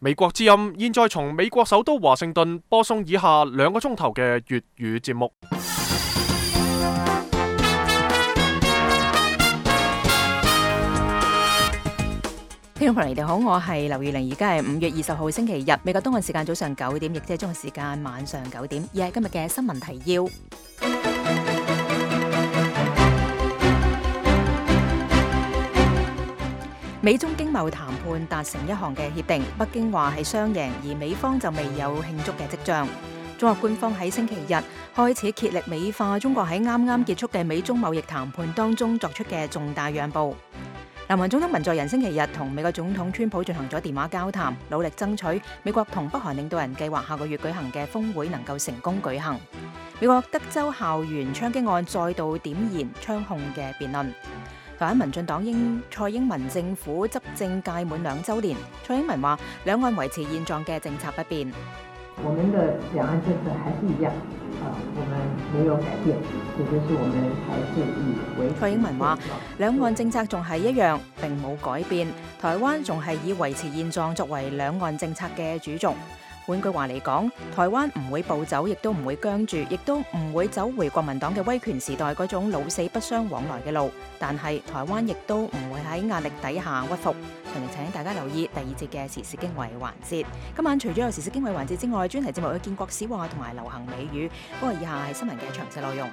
美國之音現在從美國首都華盛頓播送以下2個鐘頭嘅粵語節目。聽眾朋友你哋好，我係劉月玲，而家係5月20號星期日，美國東岸時間早上9點，亦即係中國時間晚上9點，而係今日嘅新聞提要。美中經貿談判達成一項嘅協定，北京話係雙贏，而美方就未有慶祝嘅跡象。中國官方喺星期日開始竭力美化中國喺啱啱結束嘅美中貿易談判當中作出嘅重大讓步。南韓總統文在寅星期日同美國總統川普進行咗電話交談，努力爭取美國同北韓領導人計劃下個月舉行嘅峰會能夠成功舉行。美國德州校園槍擊案再度點燃槍控嘅辯論。台灣民進黨蔡英文政府執政屆滿2週年，蔡英文話兩岸維持現狀嘅政策不變。我們的兩岸政策還是一樣，我們沒有改變，也就是我們還是以維持。蔡英文話兩岸政策仲係一樣，並冇改變，台灣仲係以維持現狀作為兩岸政策嘅主軸。換句話嚟講，台灣唔會暴走，亦都唔會僵住，亦都唔會走回國民黨嘅威權時代嗰種老死不相往來嘅路。但係台灣亦都唔會喺壓力底下屈服。詳情請大家留意第2節嘅時事經緯環節。今晚除咗有時事經緯環節之外，專題節目有建國史話同埋流行美語。不過以下係新聞嘅詳細內容。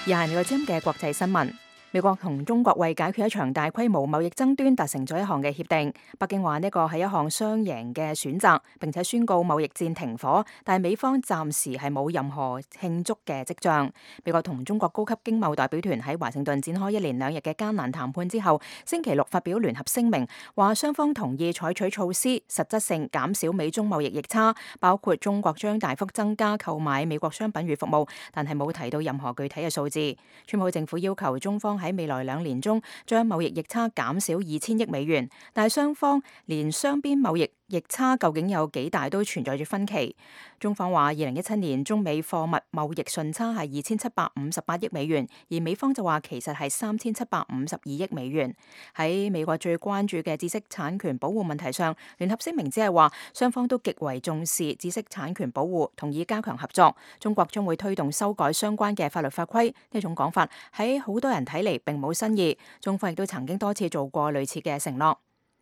以下係美國之音嘅國際新聞。美國同中國為解決一場大規模貿易爭端達成咗一項嘅協定。北京話呢個係一項雙贏嘅選擇，並且宣告貿易戰停火，但係美方暫時係冇任何慶祝嘅跡象。美國同中國高級經貿代表團喺華盛頓展開1連2日嘅艱難談判之後，星期六發表聯合聲明，話雙方同意採取措施，實質性減少美中貿易逆差，包括中國將大幅增加購買美國商品與服務，但係冇提到任何具體嘅數字。川普政府要求中方喺未來2年中將貿易逆差減少2000億美元，但係雙方連雙邊貿易逆差究竟有幾大都存在住分歧。中方話2017年中美貨物貿易順差係2758億美元，而美方就話其實係3752億美元。喺美國最關注嘅知識產權保護問題上，聯合聲明只係話雙方都極為重視知識產權保護，同意加強合作。中國將會推動修改相關嘅法律法規。呢種講法喺好多人睇嚟並冇新意，中方亦都曾經多次做過類似嘅承諾。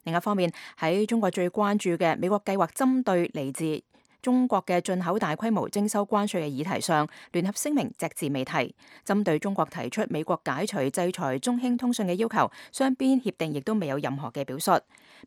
另一方面，喺中國最關注嘅美國計劃針對嚟自中國嘅進口大規模徵收關稅嘅議題上，聯合聲明隻字未提。針對中國提出美國解除制裁中興通訊嘅要求，雙邊協定亦都未有任何嘅表述。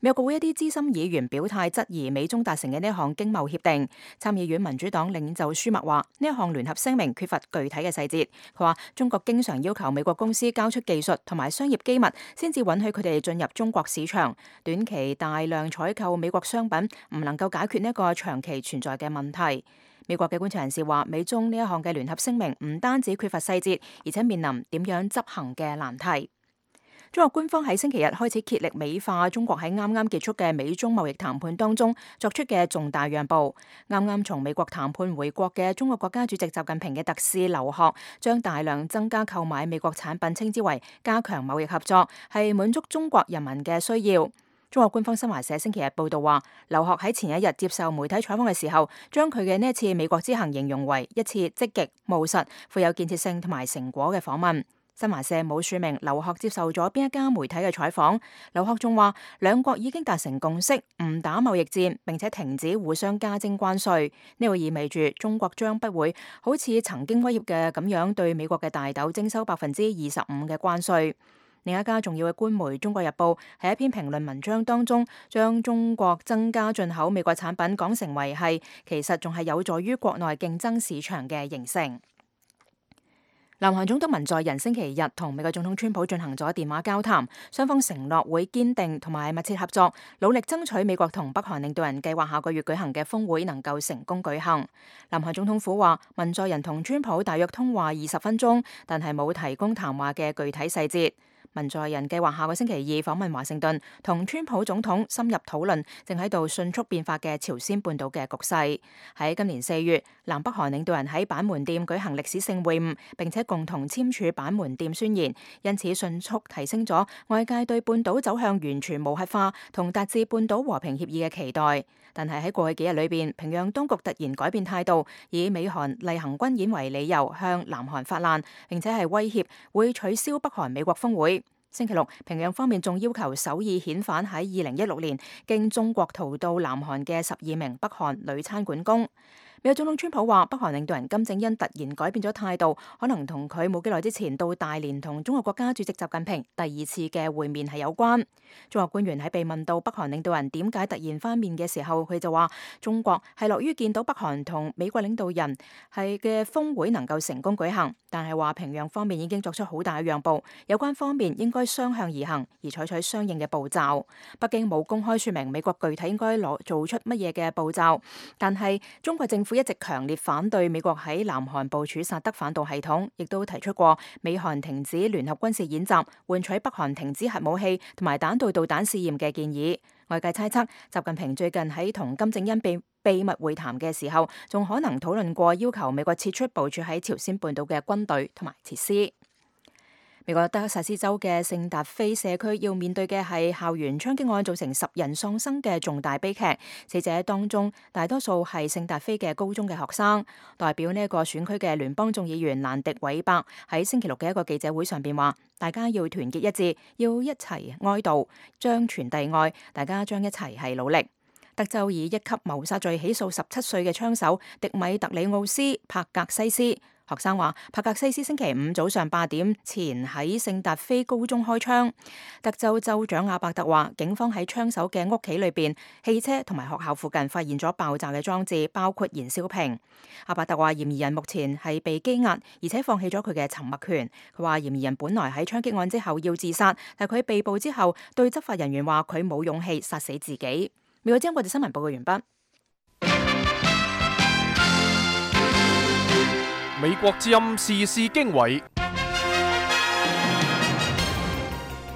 美國國會一啲資深議員表態質疑美中達成嘅呢一項經貿協定。參議院民主黨領袖舒默話呢一項聯合聲明缺乏具體嘅細節。佢話中國經常要求美國公司交出技術同埋商業機密，先至允許佢哋進入中國市場。短期大量採購美國商品唔能夠解決呢一個長期存在嘅問題。美國嘅觀察人士話，美中呢一項嘅聯合聲明唔單止缺乏細節，而且面臨點樣執行嘅難題。中國官方喺星期日開始竭力美化中國喺啱啱結束嘅美中貿易談判當中作出嘅重大讓步。啱啱從美國談判回國嘅中國國家主席習近平嘅特使劉鶴將大量增加購買美國產品稱之為加強貿易合作，係滿足中國人民嘅需要。中國官方新華社星期日報道話，劉鶴喺前一日接受媒體採訪嘅時候，將佢嘅呢一次美國之行形容為一次積極、務實、富有建設性同埋成果嘅訪問。新華社冇署名劉鶴接受咗邊一家媒體嘅採訪。劉鶴仲話，兩國已經達成共識，唔打貿易戰，並且停止互相加徵關稅。呢個意味住中國將不會好似曾經威脅嘅咁樣對美國嘅大豆徵收25%嘅關稅。另一家重要嘅官媒《中國日報》喺一篇評論文章當中，將中國增加進口美國產品講成為係其實仲係有助於國內競爭市場嘅形成。南韓總統文在寅星期日同美國總統川普進行咗電話交談，雙方承諾會堅定同埋密切合作，努力爭取美國同北韓領導人計劃下個月舉行嘅峰會能夠成功舉行。南韓總統府話，文在寅同川普大約通話20分鐘，但係冇提供談話嘅具體細節。文在寅計劃下個星期二訪問華盛頓，同川普總統深入討論正喺度迅速變化嘅朝鮮半島嘅局勢。喺今年4月，南北韓領導人喺板門店舉行歷史性會晤，並且共同簽署板門店宣言，因此迅速提升咗外界對半島走向完全無核化同達至半島和平協議嘅期待。但係喺過去幾日裏邊，平壤當局突然改變態度，以美韓例行軍演為理由向南韓發難，並且係威脅會取消北韓美國峰會。星期六，平壤方面仲要求首爾遣返喺2016年經中國逃到南韓嘅12名北韓女餐館工。美國總統川普話，北韓領導人金正恩突然改變咗態度，可能同佢冇幾耐之前到大連同中國國家主席習近平第2次嘅會面係有關。中國官員喺被問到北韓領導人點解突然翻面嘅時候，佢就話中國係樂於見到北韓同美國領導人係嘅峰會能夠成功舉行，但係話平壤方面已經作出好大嘅讓步，有關方面應該雙向而行，而採取相應嘅步驟。北京冇公開說明美國具體應該做出乜嘢嘅步驟，但係中國政府一直強烈反對美國喺南韓部署薩德反導系統，亦都提出過美韓停止聯合軍事演習、換取北韓停止核武器同埋彈道導彈試驗嘅建議。外界猜測，習近平最近喺同金正恩秘密會談嘅時候，仲可能討論過要求美國撤出部署喺朝鮮半島嘅軍隊同埋設施。美國德克薩斯州嘅聖達菲社區要面對嘅係校園槍擊案造成10人喪生嘅重大悲劇，死者當中大多數係聖達菲嘅高中嘅學生。代表呢一個選區嘅聯邦眾議員蘭迪韋伯喺星期六嘅一個記者會上邊話，大家要團結一致，要一齊哀悼，將傳遞愛，大家將一齊係努力。德州以1級謀殺罪起訴17歲嘅槍手迪米特里奧斯帕格西斯。學生話，帕格西斯星期5早上8點前喺聖達菲高中開槍。德州州長阿伯特話，警方喺槍手嘅屋企裏邊、汽車同埋學校附近發現咗爆炸嘅裝置，包括燃燒瓶。阿伯特話，嫌疑人目前係被羈押，而且放棄咗佢嘅沉默權。佢話，嫌疑人本來喺槍擊案之後要自殺，但佢被捕之後對執法人員話佢冇勇氣殺死自己。美國之音國際新聞報告完畢。美國之音時事經緯，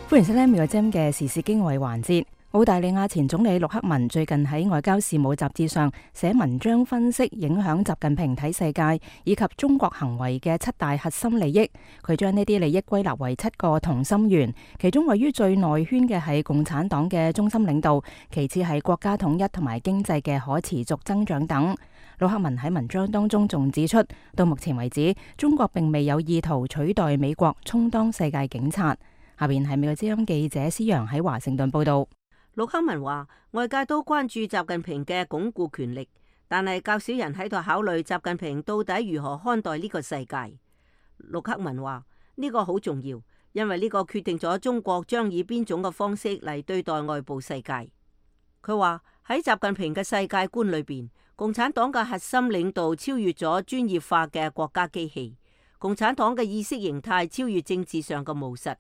歡迎收聽美國之音嘅時事經緯環節。澳大利亞前總理陸克文最近喺外交事務雜誌上寫文章分析影響習近平睇世界以及中國行為嘅7大核心利益。佢將呢啲利益歸納為7個同心圓，其中位於最內圈嘅係共產黨嘅中心領導，其次係國家統一同埋經濟嘅可持續增長等。陸克文喺文章當中仲指出，到目前為止，中國並未有意圖取代美國充當世界警察。下邊係美國之音記者施洋喺華盛頓報道。陸克文話，外界都關注習近平嘅鞏固權力，但係較少人喺度考慮習近平到底如何看待呢個世界。陸克文話，呢個好重要，因為呢個決定咗中國將以邊種嘅方式嚟對待外部世界。佢話喺習近平嘅世界觀裏邊，共產黨嘅核心領導超越咗專業化嘅國家機器，共產黨嘅意識形態超越政治上嘅務實。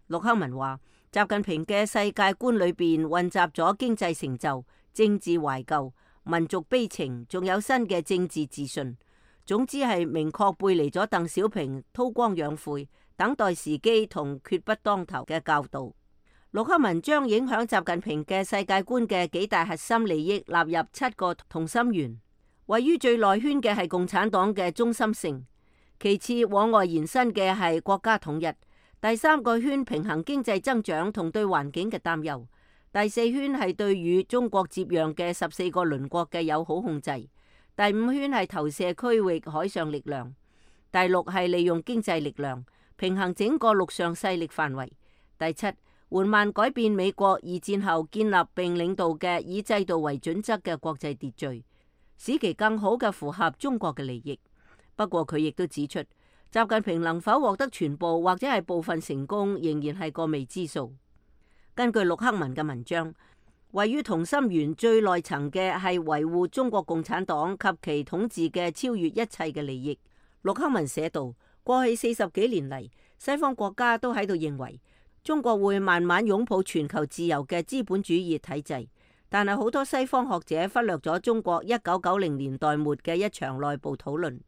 陸克文話，習近平嘅世界觀裏邊混雜咗經濟成就、政治懷舊、民族悲情，仲有新嘅政治自信。總之係明確背離咗鄧小平韜光養晦、等待時機同決不當頭嘅教導。陸克文將影響習近平嘅世界觀嘅幾大核心利益納入7個同心圓，位於最內圈嘅係共產黨嘅中心性，其次往外延伸嘅係國家統一，第3個圈平衡經濟增長同對環境嘅擔憂，第4圈係對與中國接壤嘅14個鄰國嘅友好控制，第5圈係投射區域海上力量，第6係利用經濟力量平衡整個陸上勢力範圍，第7緩慢改變美國二戰後建立並領導嘅以制度為準則嘅國際秩序，使其更好嘅符合中國嘅利益。不過佢亦都指出，習近平能否獲得全部或者係部分成功，仍然係個未知數。根據陸克文嘅文章，位於同心圓最內層嘅係維護中國共產黨及其統治嘅超越一切嘅利益。陸克文寫道，過去40幾年嚟，西方國家都喺度認為中國會慢慢擁抱全球自由嘅資本主義體制，但係好多西方學者忽略咗中國1990年代末嘅一場內部討論。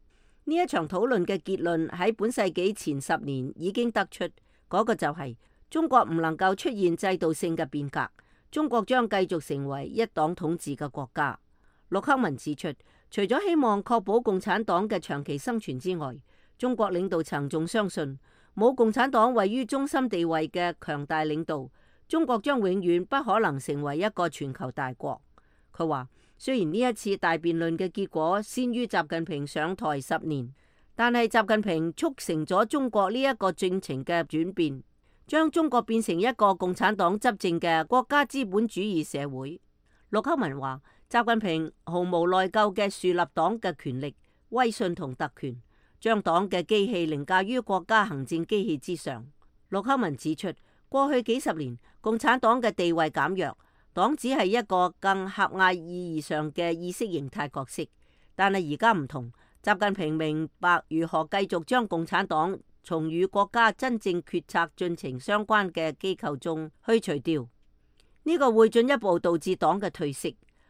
呢一場討論嘅結論喺本世紀前10年已經得出，嗰個就係中國唔能夠出現制度性嘅變革，中國將繼續成為一黨統治嘅國家。陸克文指出，除咗希望確保共產黨嘅長期生存之外，中國領導層仲相信冇共產黨位於中心地位嘅強大領導，中國將永遠不可能成為一個全球大國。佢話，雖然呢一次大辯論嘅結果先於習近平上台10年，但係習近平促成咗中國呢一個進程嘅轉變，將中國變成一個共產黨執政嘅國家資本主義社會。陸克文話，習近平毫無內疚嘅樹立黨嘅權力、威信同特權，將黨嘅機器凌駕於國家行政機器之上。陸克文指出，過去幾十年共產黨嘅地位減弱，黨只係一個更狹隘意義上嘅意識形態角色。但係而家唔同，習近平明白如何繼續將共產黨從與國家真正決策進程相關嘅機構中去除掉。呢個會進一步導致黨嘅退色。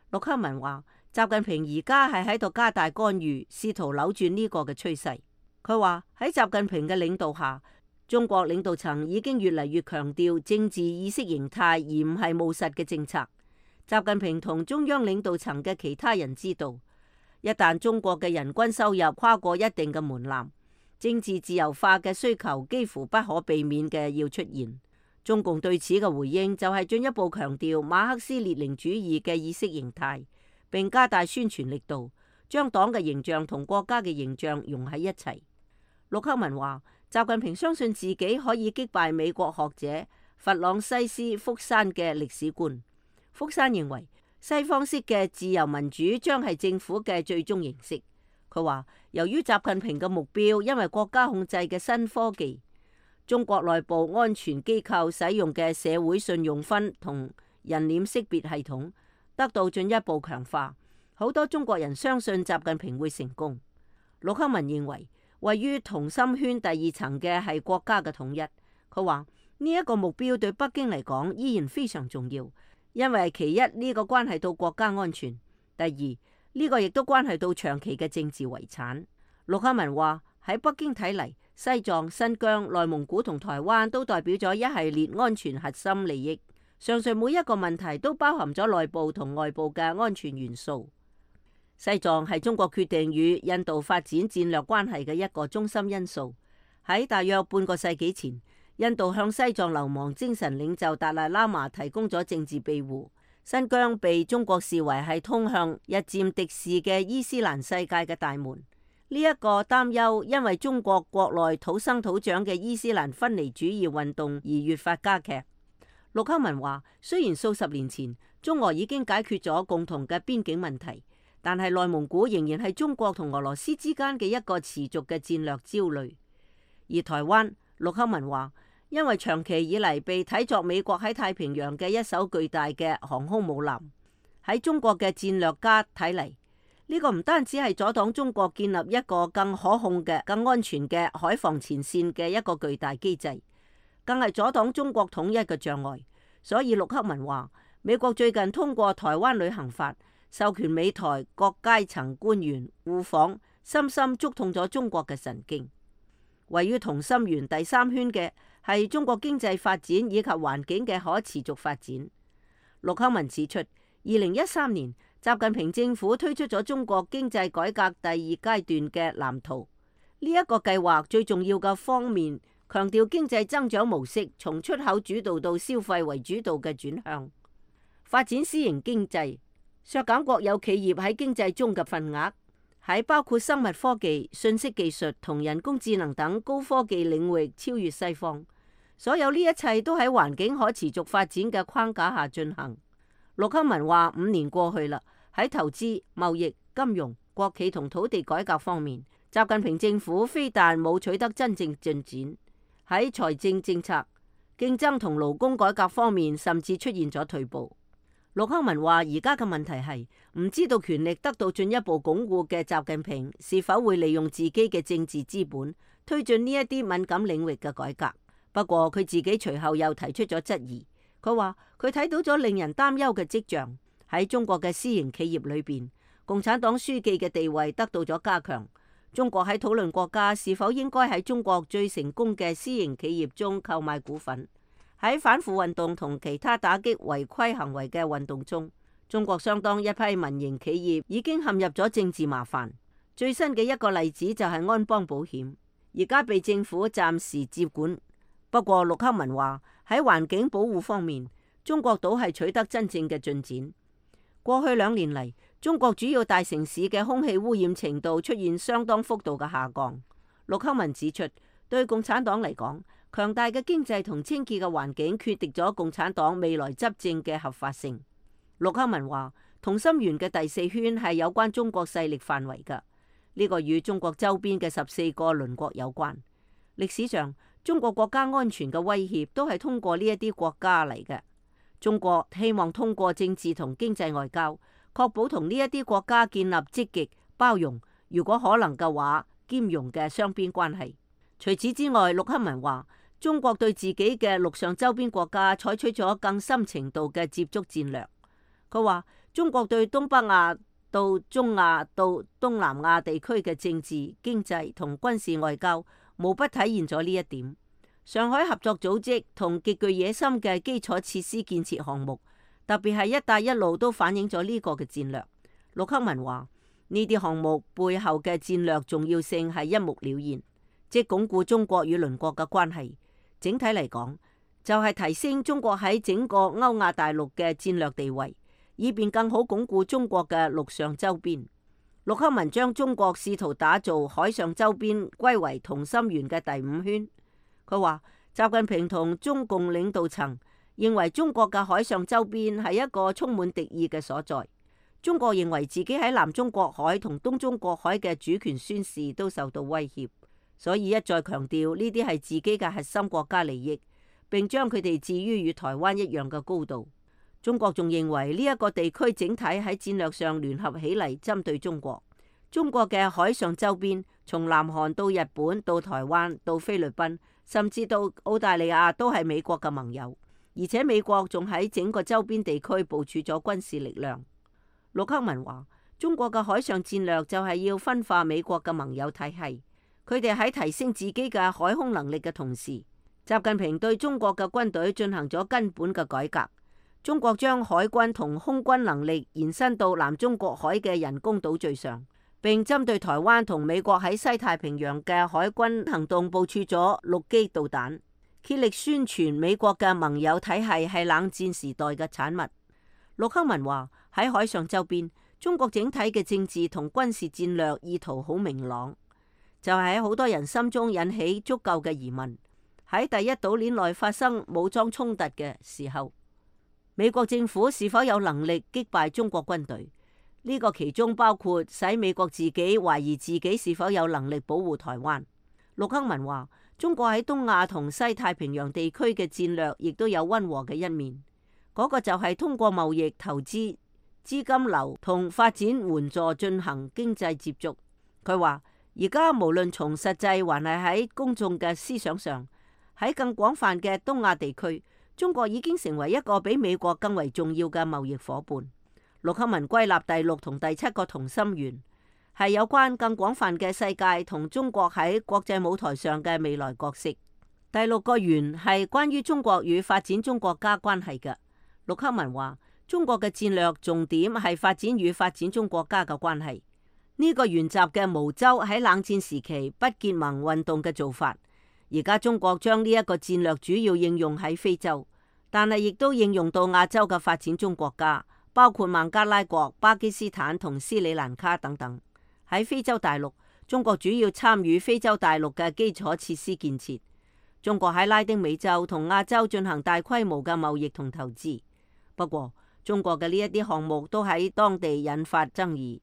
陸克文話，習近平而家係喺度加大干預，試圖扭轉呢個嘅趨勢。佢話喺習近平嘅領導下，中國領導層已經越嚟越強調政治意識形態，而唔係務實嘅政策。習近平同中央領導層嘅其他人知道，一旦中國嘅人均收入跨過一定嘅門檻，政治自由化嘅需求幾乎不可避免嘅要出現。中共對此嘅回應就係進一步強調馬克思列寧主義嘅意識形態，並加大宣傳力度，將黨嘅形象同國家嘅形象融喺一齊。陸克文話，習近平相信自己可以擊敗美國學者弗朗西斯福山嘅歷史觀。福山認為西方式嘅自由民主將係政府嘅最終形式。佢話，由於習近平嘅目標因為國家控制嘅新科技，中國內部安全機構使用嘅社會信用分同人臉識別系統得到進一步強化，好多中國人相信習近平會成功。陸克文認為，位於同心圈第二層嘅係國家嘅統一。佢話呢一個目標對北京嚟講依然非常重要，因為其一，呢個關係到國家安全；第二，呢個亦都關係到長期嘅政治遺產。陸克文話，喺北京睇嚟，西藏、新疆、內蒙古同台灣都代表咗一系列安全核心利益。上述每一個問題都包含咗內部同外部嘅安全元素。西藏係中國決定與印度發展戰略關係嘅一個中心因素。喺大約半個世紀前，印度向西藏流亡精神領袖達賴喇嘛提供咗政治庇護。新疆被中國視為係通向日漸敵視嘅伊斯蘭世界嘅大門。呢一個擔憂因為中國國內土生土長嘅伊斯蘭分離主義運動而越發加劇。陸克文話，雖然數十年前中俄已經解決咗共同嘅邊境問題，但係內蒙古仍然係中國同俄羅斯之間嘅一個持續嘅戰略焦慮。而台灣，陸克文話，因為長期以嚟被睇作美國喺太平洋嘅一艘巨大嘅航空母艦，喺中國嘅戰略家睇嚟，呢個唔單止係阻擋中國建立一個更可控嘅、更安全嘅海防前線嘅一個巨大機制，更係阻擋中國統一嘅障礙。所以陸克文話，美國最近通過台灣旅行法，授權美台各階層官員互訪，深深觸痛咗中國嘅神經。位於同心圓第三圈嘅係中國經濟發展以及環境嘅可持續發展。陸克文指出，2013年習近平政府推出咗中國經濟改革第二階段嘅藍圖。呢一個計劃最重要嘅方面，強調經濟增長模式從出口主導到消費為主導嘅轉向，發展私營經濟，削減國有企業喺經濟中嘅份額，喺包括生物科技、信息技術同人工智能等高科技領域超越西方。所有呢一切都喺環境可持續發展嘅框架下進行。陸克文話：5年過去啦，喺投資、貿易、金融、國企同土地改革方面，習近平政府非但冇取得真正進展，喺財政政策、競爭同勞工改革方面，甚至出現咗退步。陸克文話：而家嘅問題係唔知道權力得到進一步鞏固嘅習近平是否會利用自己嘅政治資本推進呢一啲敏感領域嘅改革。不過佢自己隨後又提出咗質疑，佢話佢睇到咗令人擔憂嘅跡象，喺中國嘅私營企業裏邊，共產黨書記嘅地位得到咗加強，中國喺討論國家是否應該喺中國最成功嘅私營企業中購買股份。喺反腐運動同其他打擊違規行為嘅運動中，中國相當一批民營企業已經陷入咗政治麻煩。最新嘅一個例子就係安邦保險，而家被政府暫時接管。不過陸克文話喺環境保護方面，中國倒係取得真正嘅進展。過去2年嚟，中國主要大城市嘅空氣污染程度出現相當幅度嘅下降。陸克文指出，對共產黨嚟講，強大嘅經濟同清潔嘅環境決定咗共產黨未來執政嘅合法性。陸克文話，同心圓嘅第4圈係有關中國勢力範圍嘅，呢個與中國周邊嘅14個鄰國有關。歷史上，中國國家安全嘅威脅都係通過呢一啲國家嚟嘅。中國希望通過政治同經濟外交，確保同呢一啲國家建立積極、包容，如果可能嘅話，兼容嘅雙邊關係。除此之外，陸克文話，中國對自己嘅陸上周邊國家採取咗更深程度嘅接觸戰略。佢話，中國對東北亞到中亞到東南亞地區嘅政治、經濟同軍事外交，無不體現咗呢一點。上海合作組織同極具野心嘅基礎設施建設項目，特別係一帶一路都反映咗呢個嘅戰略。陸克文話，呢啲項目背後嘅戰略重要性係一目了然，即鞏固中國與鄰國嘅關係。整體嚟講，就係提升中國喺整個歐亞大陸嘅戰略地位，以便更好鞏固中國嘅陸上周邊。陸克文將中國試圖打造海上周邊歸為同心圓嘅第5圈。佢話，習近平同中共領導層認為中國嘅海上周邊係一個充滿敵意嘅所在。中國認為自己喺南中國海同東中國海嘅主權宣示都受到威脅，所以一再強調呢啲係自己嘅核心國家利益，並將佢哋置於與台灣一樣嘅高度。中國仲認為呢一個地區整體喺戰略上聯合起嚟針對中國。中國嘅海上周邊，從南韓到日本到台灣到菲律賓，甚至到澳大利亞都係美國嘅盟友，而且美國仲喺整個周邊地區部署咗軍事力量。陸克文話，中國嘅海上戰略就係要分化美國嘅盟友體系，佢哋喺提升自己嘅海空能力嘅同時，習近平對中國嘅軍隊進行咗根本嘅改革。中國將海軍同空軍能力延伸到南中國海嘅人工島嶼上，並針對台灣同美國喺西太平洋嘅海軍行動部署咗陸基導彈，竭力宣傳美國嘅盟友體系係冷戰時代嘅產物。陸克文話，喺海上周邊，中國整體嘅政治同軍事戰略意圖好明朗，就係喺好多人心中引起足夠嘅疑問。喺第一島鏈內發生武裝衝突嘅時候，美國政府是否有能力擊敗中國軍隊？呢個其中包括使美國自己懷疑自己是否有能力保護台灣。陸克文話，中國喺東亞同西太平洋地區嘅戰略亦都有溫和嘅一面，嗰個就係通過貿易、投資、資金流同發展援助進行經濟接觸。佢話，而家無論從實際還係喺公眾嘅思想上，喺更廣泛嘅東亞地區，中國已經成為一個比美國更為重要嘅貿易夥伴。陸克文歸納第6同第7個同心圓，係有關更廣泛嘅世界同中國喺國際舞台上嘅未來角色。第6個圓係關於中國與發展中國家關係嘅。陸克文話，中國嘅戰略重點係發展與發展中國家嘅關係。呢個沿襲嘅毛洲喺冷戰時期不結盟運動嘅做法。而家中國將呢一個戰略主要應用喺非洲，但係亦都應用到亞洲嘅發展中國家，包括孟加拉國、巴基斯坦同斯里蘭卡等等。喺非洲大陸，中國主要參與非洲大陸嘅基礎設施建設。中國喺拉丁美洲同亞洲進行大規模嘅貿易同投資。不過，中國嘅呢一啲項目都喺當地引發爭議。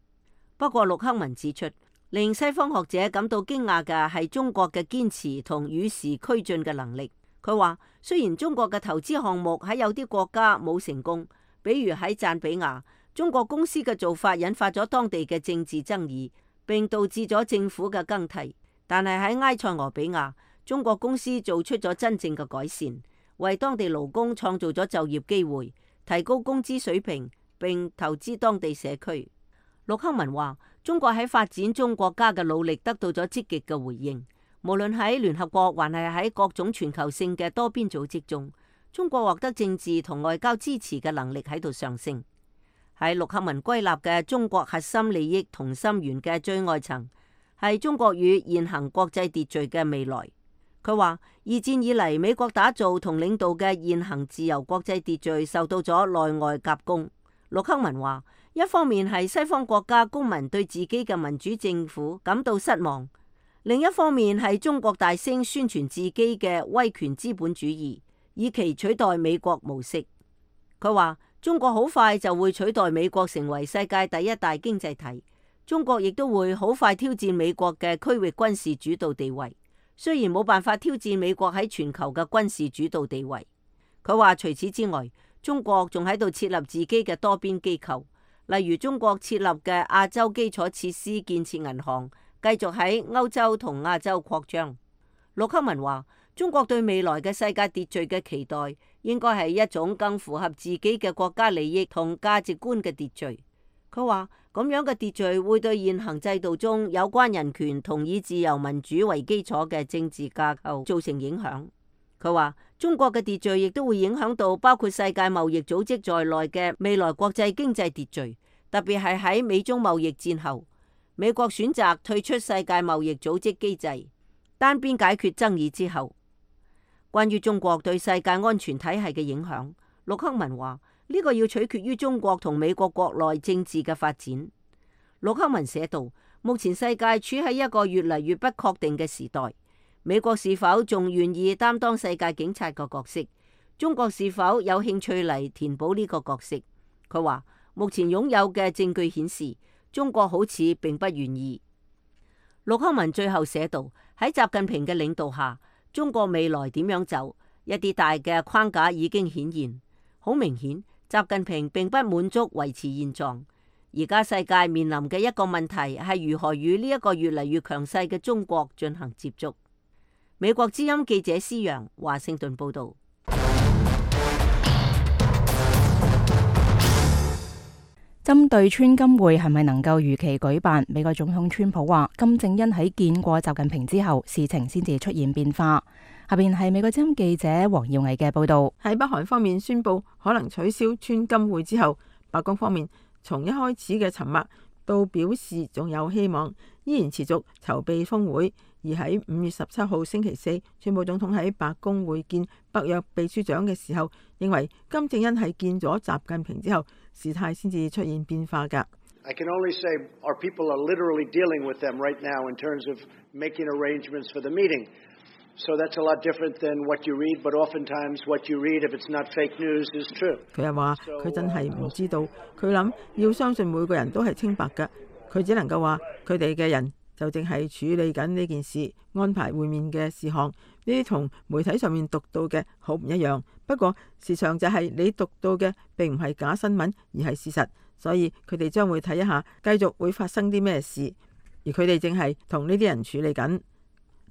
不過，陸克文指出，令西方學者感到驚訝嘅係中國嘅堅持同與時俱進嘅能力。佢話，雖然中國嘅投資項目喺有啲國家冇成功，比如喺贊比亞，中國公司嘅做法引發咗當地嘅政治爭議，並導致咗政府嘅更替。但係喺埃塞俄比亞，中國公司做出咗真正嘅改善，為當地勞工創造咗就業機會，提高工資水平，並投資當地社區。陸克文話，中國喺發展中國家嘅努力得到咗積極嘅回應，無論喺聯合國還係喺各種全球性嘅多邊組織中，中國獲得政治同外交支持嘅能力喺度上升。喺陸克文歸納嘅中國核心利益同心圓嘅最外層，係中國與現行國際秩序嘅未來。佢話二戰以嚟，美國打造同領導嘅現行自由國際秩序受到咗內外夾攻。陸克文話，一方面係西方國家公民對自己嘅民主政府感到失望，另一方面係中國大聲宣傳自己嘅威權資本主義，以期取代美國模式。佢話中國好快就會取代美國成為世界第一大經濟體，中國亦都會好快挑戰美國嘅區域軍事主導地位，雖然冇辦法挑戰美國喺全球嘅軍事主導地位。佢話除此之外，中國仲喺度設立自己嘅多邊機構，例如中國設立嘅亞洲基礎設施建設銀行，繼續喺歐洲同亞洲擴張。陸克文話，中國對未來嘅世界秩序嘅期待，應該係一種更符合自己嘅國家利益同價值觀嘅秩序。佢話咁樣嘅秩序會對現行制度中有關人權同以自由民主為基礎嘅政治架構造成影響。佢話中國嘅秩序亦都會影響到包括世界貿易組織在內嘅未來國際經濟秩序，特別係喺美中貿易戰後，美國選擇退出世界貿易組織機制，單邊解決爭議之後。關於中國對世界安全體系嘅影響，陸克文話呢個要取決於中國同美國國內政治嘅發展。陸克文寫道，目前世界處喺一個越嚟越不確定嘅時代，美國是否仲願意擔當世界警察嘅角色？中國是否有興趣嚟填補呢個角色？佢話目前擁有嘅證據顯示，中國好似並不願意。陸克文最後寫道，喺習近平嘅領導下，中國未來點樣走？一啲大嘅框架已經顯現，好明顯，習近平並不滿足維持現狀。而家世界面臨嘅一個問題係如何與呢一個越嚟越強勢嘅中國進行接觸。美國之音記者施洋華盛頓報道。針對川金會係咪能夠如期舉辦，美國總統川普話金正恩喺見過習近平之後，事情先至出現變化。下邊係美國之音記者黃耀毅嘅報道。喺北韓方面宣布可能取消川金會之後，白宮方面從一開始嘅沉默到表示仲有希望，依然持續籌備峰會。而喺5月17號星期四，川普總統喺白宮會見北約秘書長嘅時候，認為金正恩係見咗習近平之後，事態先至出現變化㗎。I can only say our people are literally dealing with them right now in terms of making arrangements for the meeting. So that's a lot different than what you read, but oftentimes what you read, if it's not fake news, is true. 佢又話佢真係唔知道，佢諗要相信每個人都係清白㗎，佢只能夠話佢哋嘅人就淨係處理緊呢件事，安排會面嘅事項，呢啲同媒體上面讀到嘅好唔一樣。不過事實上就係你讀到嘅並唔係假新聞，而係事實，所以佢哋將會睇一下繼續會發生啲咩事，而佢哋正係同呢啲人處理緊。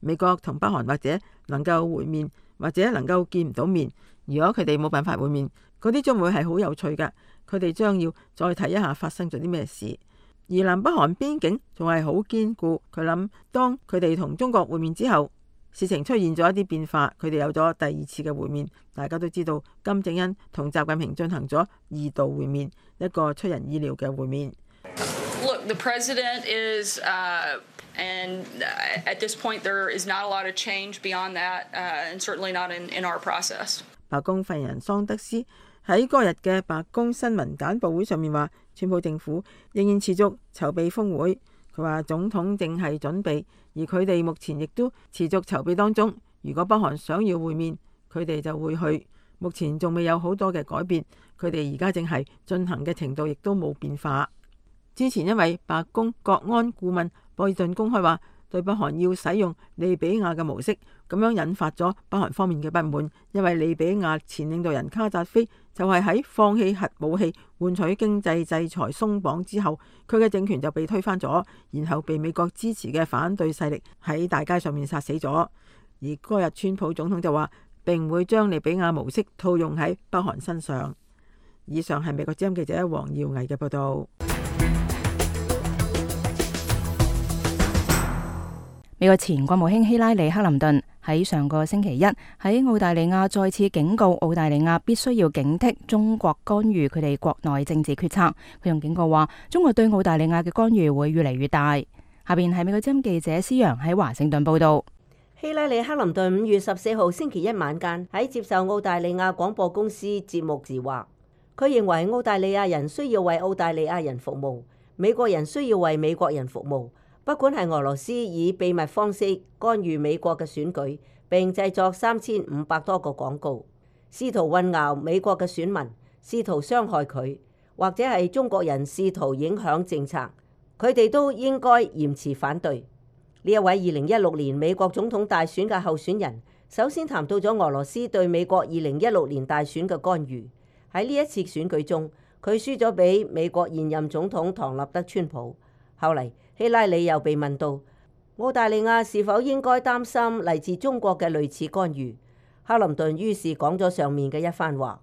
美國同北韓或者能夠會面，或者能夠見唔到面。如果佢哋冇辦法會面，嗰啲將會係好有趣㗎。佢哋將要再睇一下發生咗啲咩事。而南北韓邊境仲係好堅固。佢諗當佢哋同中國會面之後，事情出現咗一啲變化，佢哋有咗第二次嘅會面。大家都知道金正恩同習近平進行咗2度會面，一個出人意料嘅會面。Look, the president is, and at this point there is not a lot of change beyond that, and certainly not in our process. 白宮發言人桑德斯喺嗰日嘅白宮新聞簡報會上面話，川普政府仍然持續籌備峰會。佢話總統正係準備，而佢哋目前亦都持續籌備當中。如果北韓想要會面，佢哋就會去。目前仲未有好多嘅改變，佢哋而家正係進行嘅程度亦都冇變化。之前因為白宮國安顧問博爾頓公開話對北韓要使用利比亞嘅模式，咁樣引發咗北韓方面嘅不滿，因為利比亞前領導人卡扎菲就係喺放棄核武器換取經濟制裁鬆綁之後，佢嘅政權就被推翻咗，然後被美國支持嘅反對勢力喺大街上面殺死咗。而嗰日川普總統就話並唔會將利比亞模式套用喺北韓身上。以上係美國之音記者黃耀毅嘅報道。美國前國務卿希拉里·克林頓喺上個星期一喺澳大利亞再次警告澳大利亞必須要警惕中國干預佢哋國內政治決策。佢仲警告話，中國對澳大利亞嘅干預會越嚟越大。下邊係美國之音記者施洋喺華盛頓報道。希拉里·克林頓5月14號星期一晚間喺接受澳大利亞廣播公司節目時話，佢認為澳大利亞人需要為澳大利亞人服務，美國人需要為美國人服務。不管係俄羅斯以秘密方式干預美國嘅選舉，並製作3500多個廣告，試圖混淆美國嘅選民，試圖傷害佢，或者係中國人試圖影響政策，佢哋都應該嚴詞反對。呢一位2016年美國總統大選嘅候選人，首先談到咗俄羅斯對美國2016年大選嘅干預。喺呢一次選舉中，佢輸咗俾美國現任總統唐納德·川普。後嚟，希拉里又被問到澳大利亞是否應該擔心嚟自中國嘅類似干預，克林頓於是講咗上面嘅一番話。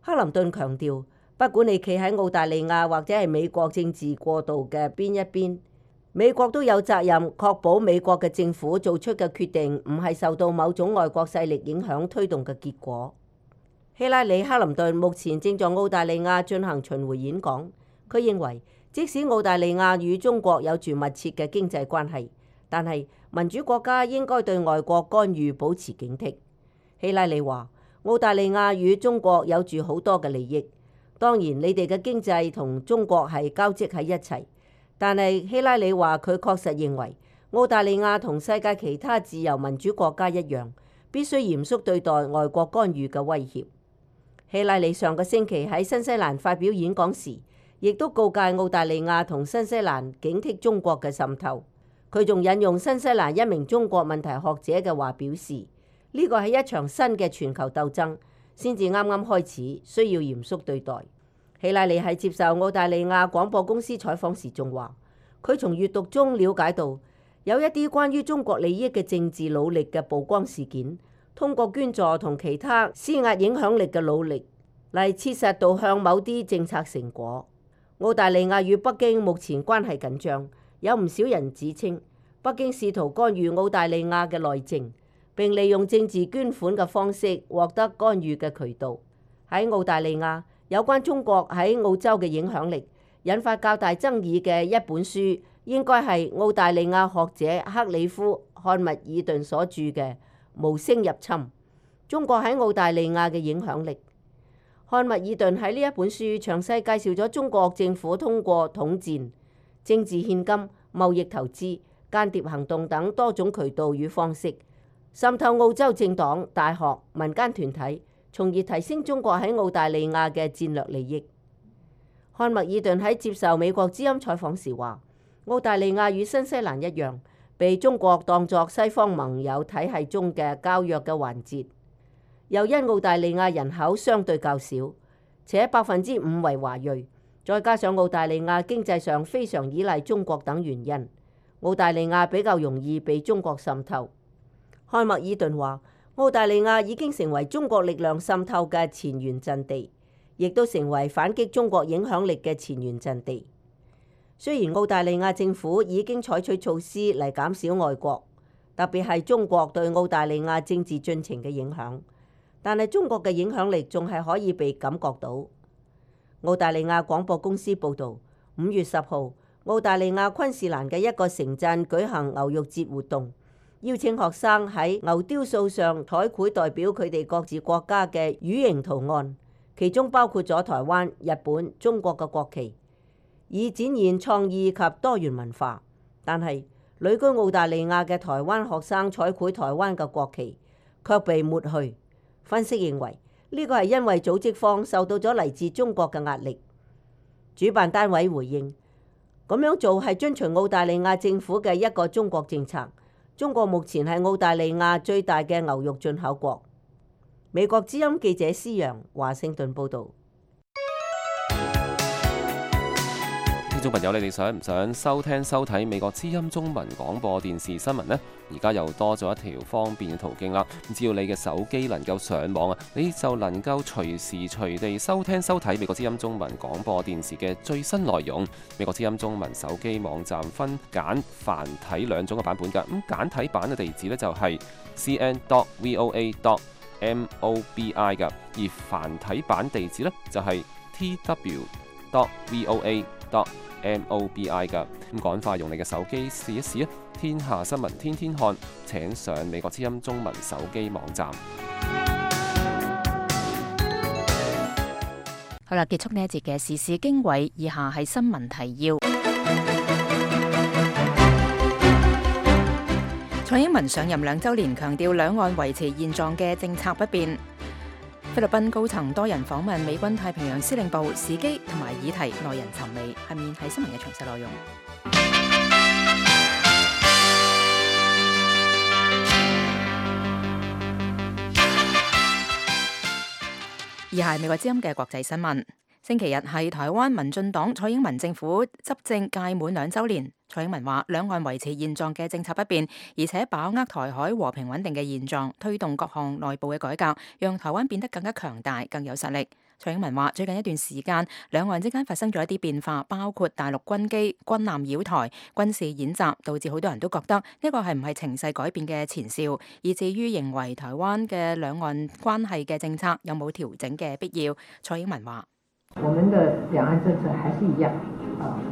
克林頓強調，不管你企喺澳大利亞或者係美國政治過渡嘅邊一邊，美國都有責任確保美國嘅政府做出嘅決定唔係受到某種外國勢力影響推動嘅結果。希拉里·克林頓目前正在澳大利亞進行巡迴演講，佢認為，即使澳大利亞與中國有住密切嘅經濟關係，但係民主國家應該對外國干預保持警惕。希拉里話：澳大利亞與中國有住好多嘅利益，當然你哋嘅經濟同中國係交織喺一齊。但係希拉里話佢確實認為澳大利亞同世界其他自由民主國家一樣，必須嚴肅對待外國干預嘅威脅。希拉里上個星期喺新西蘭發表演講時，亦都告誡澳大利亞同新西蘭警惕中國嘅滲透。佢仲引用新西蘭一名中國問題學者嘅話表示，呢個係一場新嘅全球鬥爭，先至啱啱開始，需要嚴肅對待。希拉里喺接受澳大利亞廣播公司採訪時仲話，佢從閱讀中了解到有一啲關於中國利益嘅政治努力嘅曝光事件，通過捐助同其他施壓影響力嘅努力嚟切實導向某啲政策成果。澳大利亞與北京目前關係緊張，有唔少人指稱北京試圖干預澳大利亞嘅內政，並利用政治捐款嘅方式獲得干預嘅渠道。喺澳大利亞，有關中國喺澳洲嘅影響力引發較大爭議嘅一本書，應該係澳大利亞學者克里夫·漢密爾頓所著嘅《無聲入侵：中國喺澳大利亞嘅影響力》。漢密爾頓喺呢一本書詳細介紹咗中國政府通過統戰、政治獻金、貿易投資、間諜行動等多種渠道與方式，滲透澳洲政黨、大學、民間團體，從而提升中國喺澳大利亞嘅戰略利益。漢密爾頓喺接受美國之音採訪時話，澳大利亞與新西蘭一樣，被中國當作西方盟友體系中嘅較弱嘅環節，又因澳大利亞人口相對較少，且5%為華裔，再加上澳大利亞經濟上非常依賴中國等原因，澳大利亞比較容易被中國滲透。漢密爾頓話，澳大利亞已經成為中國力量滲透嘅前沿陣地，亦都成為反擊中國影響力嘅前沿陣地。雖然澳大利亞政府已經採取措施嚟減少外國，特別係中國對澳大利亞政治進程嘅影響，但係中國嘅影響力仲係可以被感覺到。澳大利亞廣播公司報導，5月10號，澳大利亞昆士蘭嘅一個城鎮舉行牛肉節活動，邀請學生喺牛雕塑上彩繪代表佢哋各自國家嘅魚形圖案，其中包括咗台灣、日本、中國嘅國旗，以展現創意及多元文化。但係旅居澳大利亞嘅台灣學生彩繪台灣嘅國旗，卻被抹去。分析認為，呢個係因為組織方受到咗嚟自中國嘅壓力。主辦單位回應，咁樣做係遵循澳大利亞政府嘅一個中國政策。中國目前係澳大利亞最大嘅牛肉進口國。美國之音記者施洋華盛頓報導。眾朋友，你哋想唔想收睇美國之音中文廣播電視新聞呢？而家又多咗一條方便嘅途徑啦。只要你嘅手機能夠上網啊，你就能夠隨時隨地收睇美國之音中文廣播電視嘅最新內容。美國之音中文手機網站分簡繁體兩種嘅版本㗎。咁簡體版嘅地址呢，就係 cn.voa.mobi 㗎，而繁體版地址呢，就係 tw.voa.mobi 㗎。咁趕快用你嘅手機試一試啊！天下新聞天天看，請上美國之音中文手機網站。好啦，結束呢一節嘅時事經緯，以下係新聞提要。蔡英文上任2週年，強調兩岸維持現狀嘅政策不變。菲律賓高層多人訪問美軍太平洋司令部，時機同埋議題耐人尋味。下面係新聞嘅詳細內容。以下係美國之音嘅國際新聞。星期日係台灣民進黨蔡英文政府執政屆滿2週年。蔡英文話：兩岸維持現狀嘅政策不變，而且把握台海和平穩定嘅現狀，推動各項內部嘅改革，讓台灣變得更加強大、更有實力。蔡英文話：最近一段時間，兩岸之間發生咗一啲變化，包括大陸軍機、軍艦繞台、軍事演習，導致好多人都覺得呢個係唔係情勢改變嘅前兆，以至於認為台灣嘅兩岸關係嘅政策有冇調整嘅必要。蔡英文話：我們的兩岸政策還是一樣，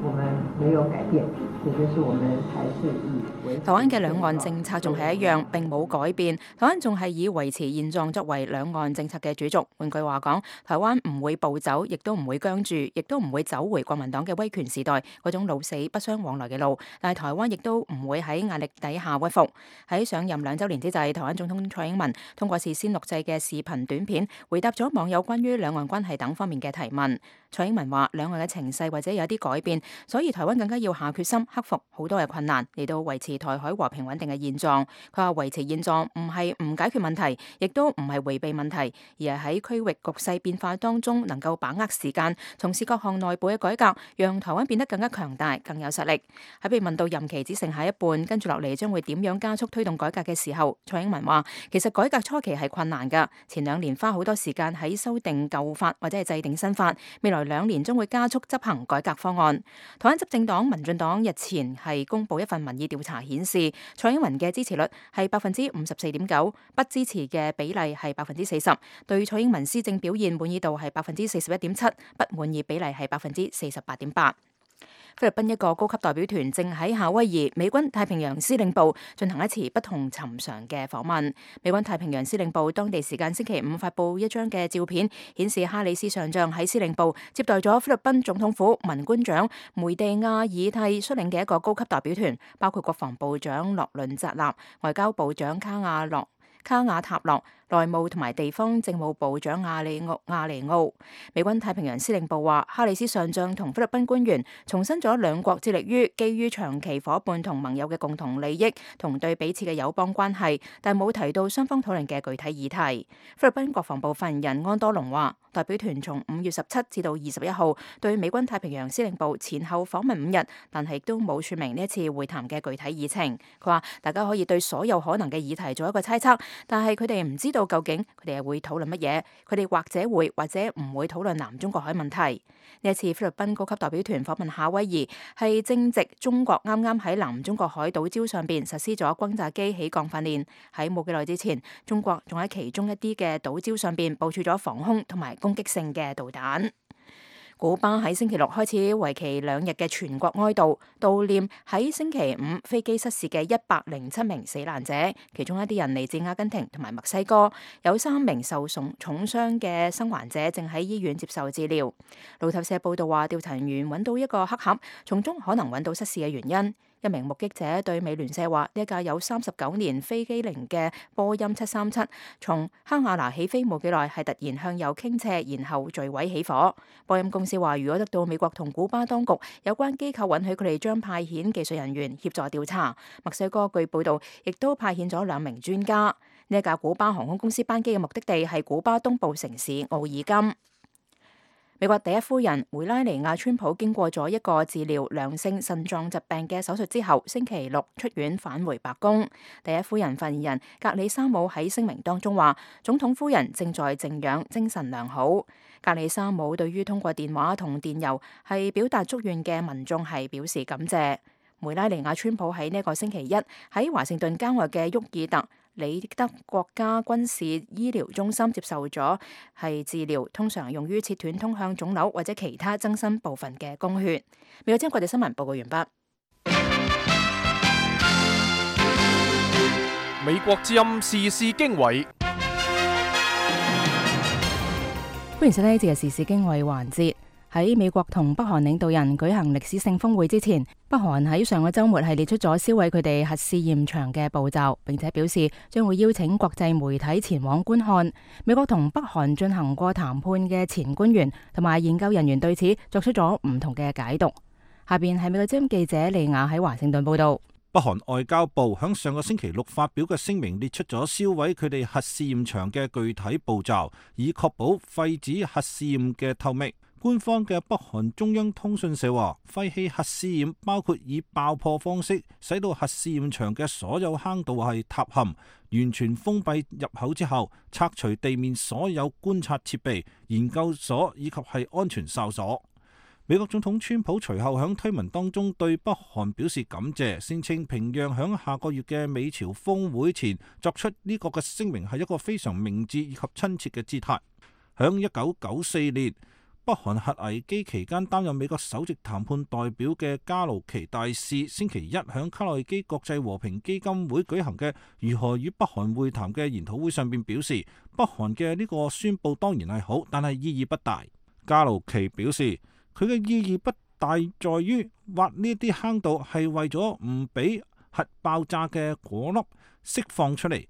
我們沒有改變，也就是我們還是以台灣嘅兩岸政策仲係一樣，並冇改變。台灣仲係以維持現狀作為兩岸政策嘅主軸。換句話講，台灣唔會暴走，亦都唔會僵住，亦都唔會走回國民黨嘅威權時代嗰種老死不相往來嘅路。但係台灣亦都唔會喺壓力底下屈服。喺上任2週年之際，台灣總統蔡英文通過事先錄製嘅視頻短片，回答咗網友關於兩岸關係等方面嘅提問。蔡英文話：兩岸嘅情勢或者有啲改變，所以台灣更加要下決心克服好多嘅困難，嚟到維持台海和平穩定嘅現狀。佢話維持現狀唔係唔解決問題，亦都唔係迴避問題，而係喺區域局勢變化當中能夠把握時間，從事各項內部嘅改革，讓台灣變得更加強大、更有實力。喺被問到任期只剩下一半，跟住落嚟將會點樣加速推動改革嘅時候，蔡英文話：其實改革初期係困難㗎，前2年花好多時間喺修訂舊法或者係制定新法，未來2年將會加速執行改革方案。台灣執政黨民進黨日前係公布一份民意調查顯示，蔡英文嘅支持率係54.9%，不支持嘅比例係40%，對蔡英文施政表現滿意度係41.7%，不滿意比例係48.8%。菲律賓一個高級代表團正喺夏威夷美軍太平洋司令部進行一次不同尋常嘅訪問。美軍太平洋司令部當地時間星期5發布一張嘅照片，顯示哈里斯上將喺司令部接待咗菲律賓總統府文官長梅地亞爾蒂率領嘅一個高級代表團，包括國防部長洛倫扎納、外交部長卡瓦塔洛、內務同埋地方政務部長亞尼奧。美軍太平洋司令部話，哈里斯上將同菲律賓官員重申咗兩國致力於基於長期夥伴同盟友嘅共同利益同對彼此嘅友邦關係，但冇提到雙方討論嘅具體議題。菲律賓國防部發言人安多龍話，代表團從5月17至到21號對美軍太平洋司令部前後訪問5日，但係都冇說明呢一次會談嘅具體議程。佢話大家可以對所有可能嘅議題做一個猜測，但係佢哋唔知道究竟佢哋係會討論乜嘢，佢哋或者會或者唔會討論南中國海問題。呢一次菲律賓高級代表團訪問夏威夷，係正值中國啱啱喺南中國海島礁上邊實施咗轟炸機起降訓練。喺冇幾耐之前，中國仲喺其中一啲嘅島礁上邊部署咗防空同埋攻擊性嘅導彈。古巴喺星期六開始為期2日嘅全國哀悼，悼念喺星期5飛機失事嘅107名死難者，其中一啲人嚟自阿根廷同埋墨西哥，有3名受重傷嘅生還者正喺醫院接受治療。路透社報道話，調查人員揾到一個黑盒，從中可能揾到失事嘅原因。一名目擊者對美聯社話：呢一架有39年飛機齡嘅波音737從哈瓦那起飛冇幾耐，係突然向右傾斜，然後墜毀起火。波音公司話，如果得到美國同古巴當局有關機構允許，佢哋將派遣技術人員協助調查。墨西哥據報道亦都派遣咗2名專家。呢一架古巴航空公司班機嘅目的地係古巴東部城市奧爾金。美國第一夫人梅拉尼亞川普經過咗一個治療良性腎臟疾病嘅手術之後，星期六出院返回白宮。第一夫人發言人格里沙姆喺聲明當中話，總統夫人正在靜養，精神良好。格里沙姆對於通過電話同電郵係表達祝願嘅民眾係表示感謝。梅拉尼亞川普喺呢個星期一喺華盛頓郊外嘅沃爾特里德國家軍事醫療中心接受咗係治療，通常用於切斷通向腫瘤或者其他增生部分嘅供血。美國之音國際新聞報告完畢。美國之音時事經緯，歡迎收聽呢節嘅時事經緯環節。喺美國同北韓領導人舉行歷史性峰會之前，北韓喺上個週末係列出咗銷毀佢哋核試驗場嘅步驟，並且表示將會邀請國際媒體前往觀看。美國同北韓進行過談判嘅前官員同埋研究人員對此作出咗唔同嘅解讀。下邊係美國之音記者利亞喺華盛頓報道。北韓外交部響上個星期六發表嘅聲明列出咗銷毀佢哋核試驗場嘅具體步驟，以確保廢止核試驗嘅透明。官方嘅北韓中央通訊社話，廢棄核試驗包括以爆破方式使到核試驗場嘅所有坑道係塌陷，完全封閉入口之後，拆除地面所有觀察設備、研究所以及係安全哨所。美國總統川普隨後響推文當中對北韓表示感謝，聲稱平壤響下個月嘅美朝峰會前作出呢個嘅聲明係一個非常明智以及親切嘅姿態。響1994年，北韓核危機期間擔任美國首席談判代表嘅加魯奇大使，星期一響卡內基國際和平基金會舉行嘅如何與北韓會談嘅研討會上邊表示，北韓嘅呢個宣佈當然係好，但係意義不大。加魯奇表示，佢嘅意義不大在於挖呢啲坑道係為咗唔俾核爆炸嘅果粒釋放出嚟。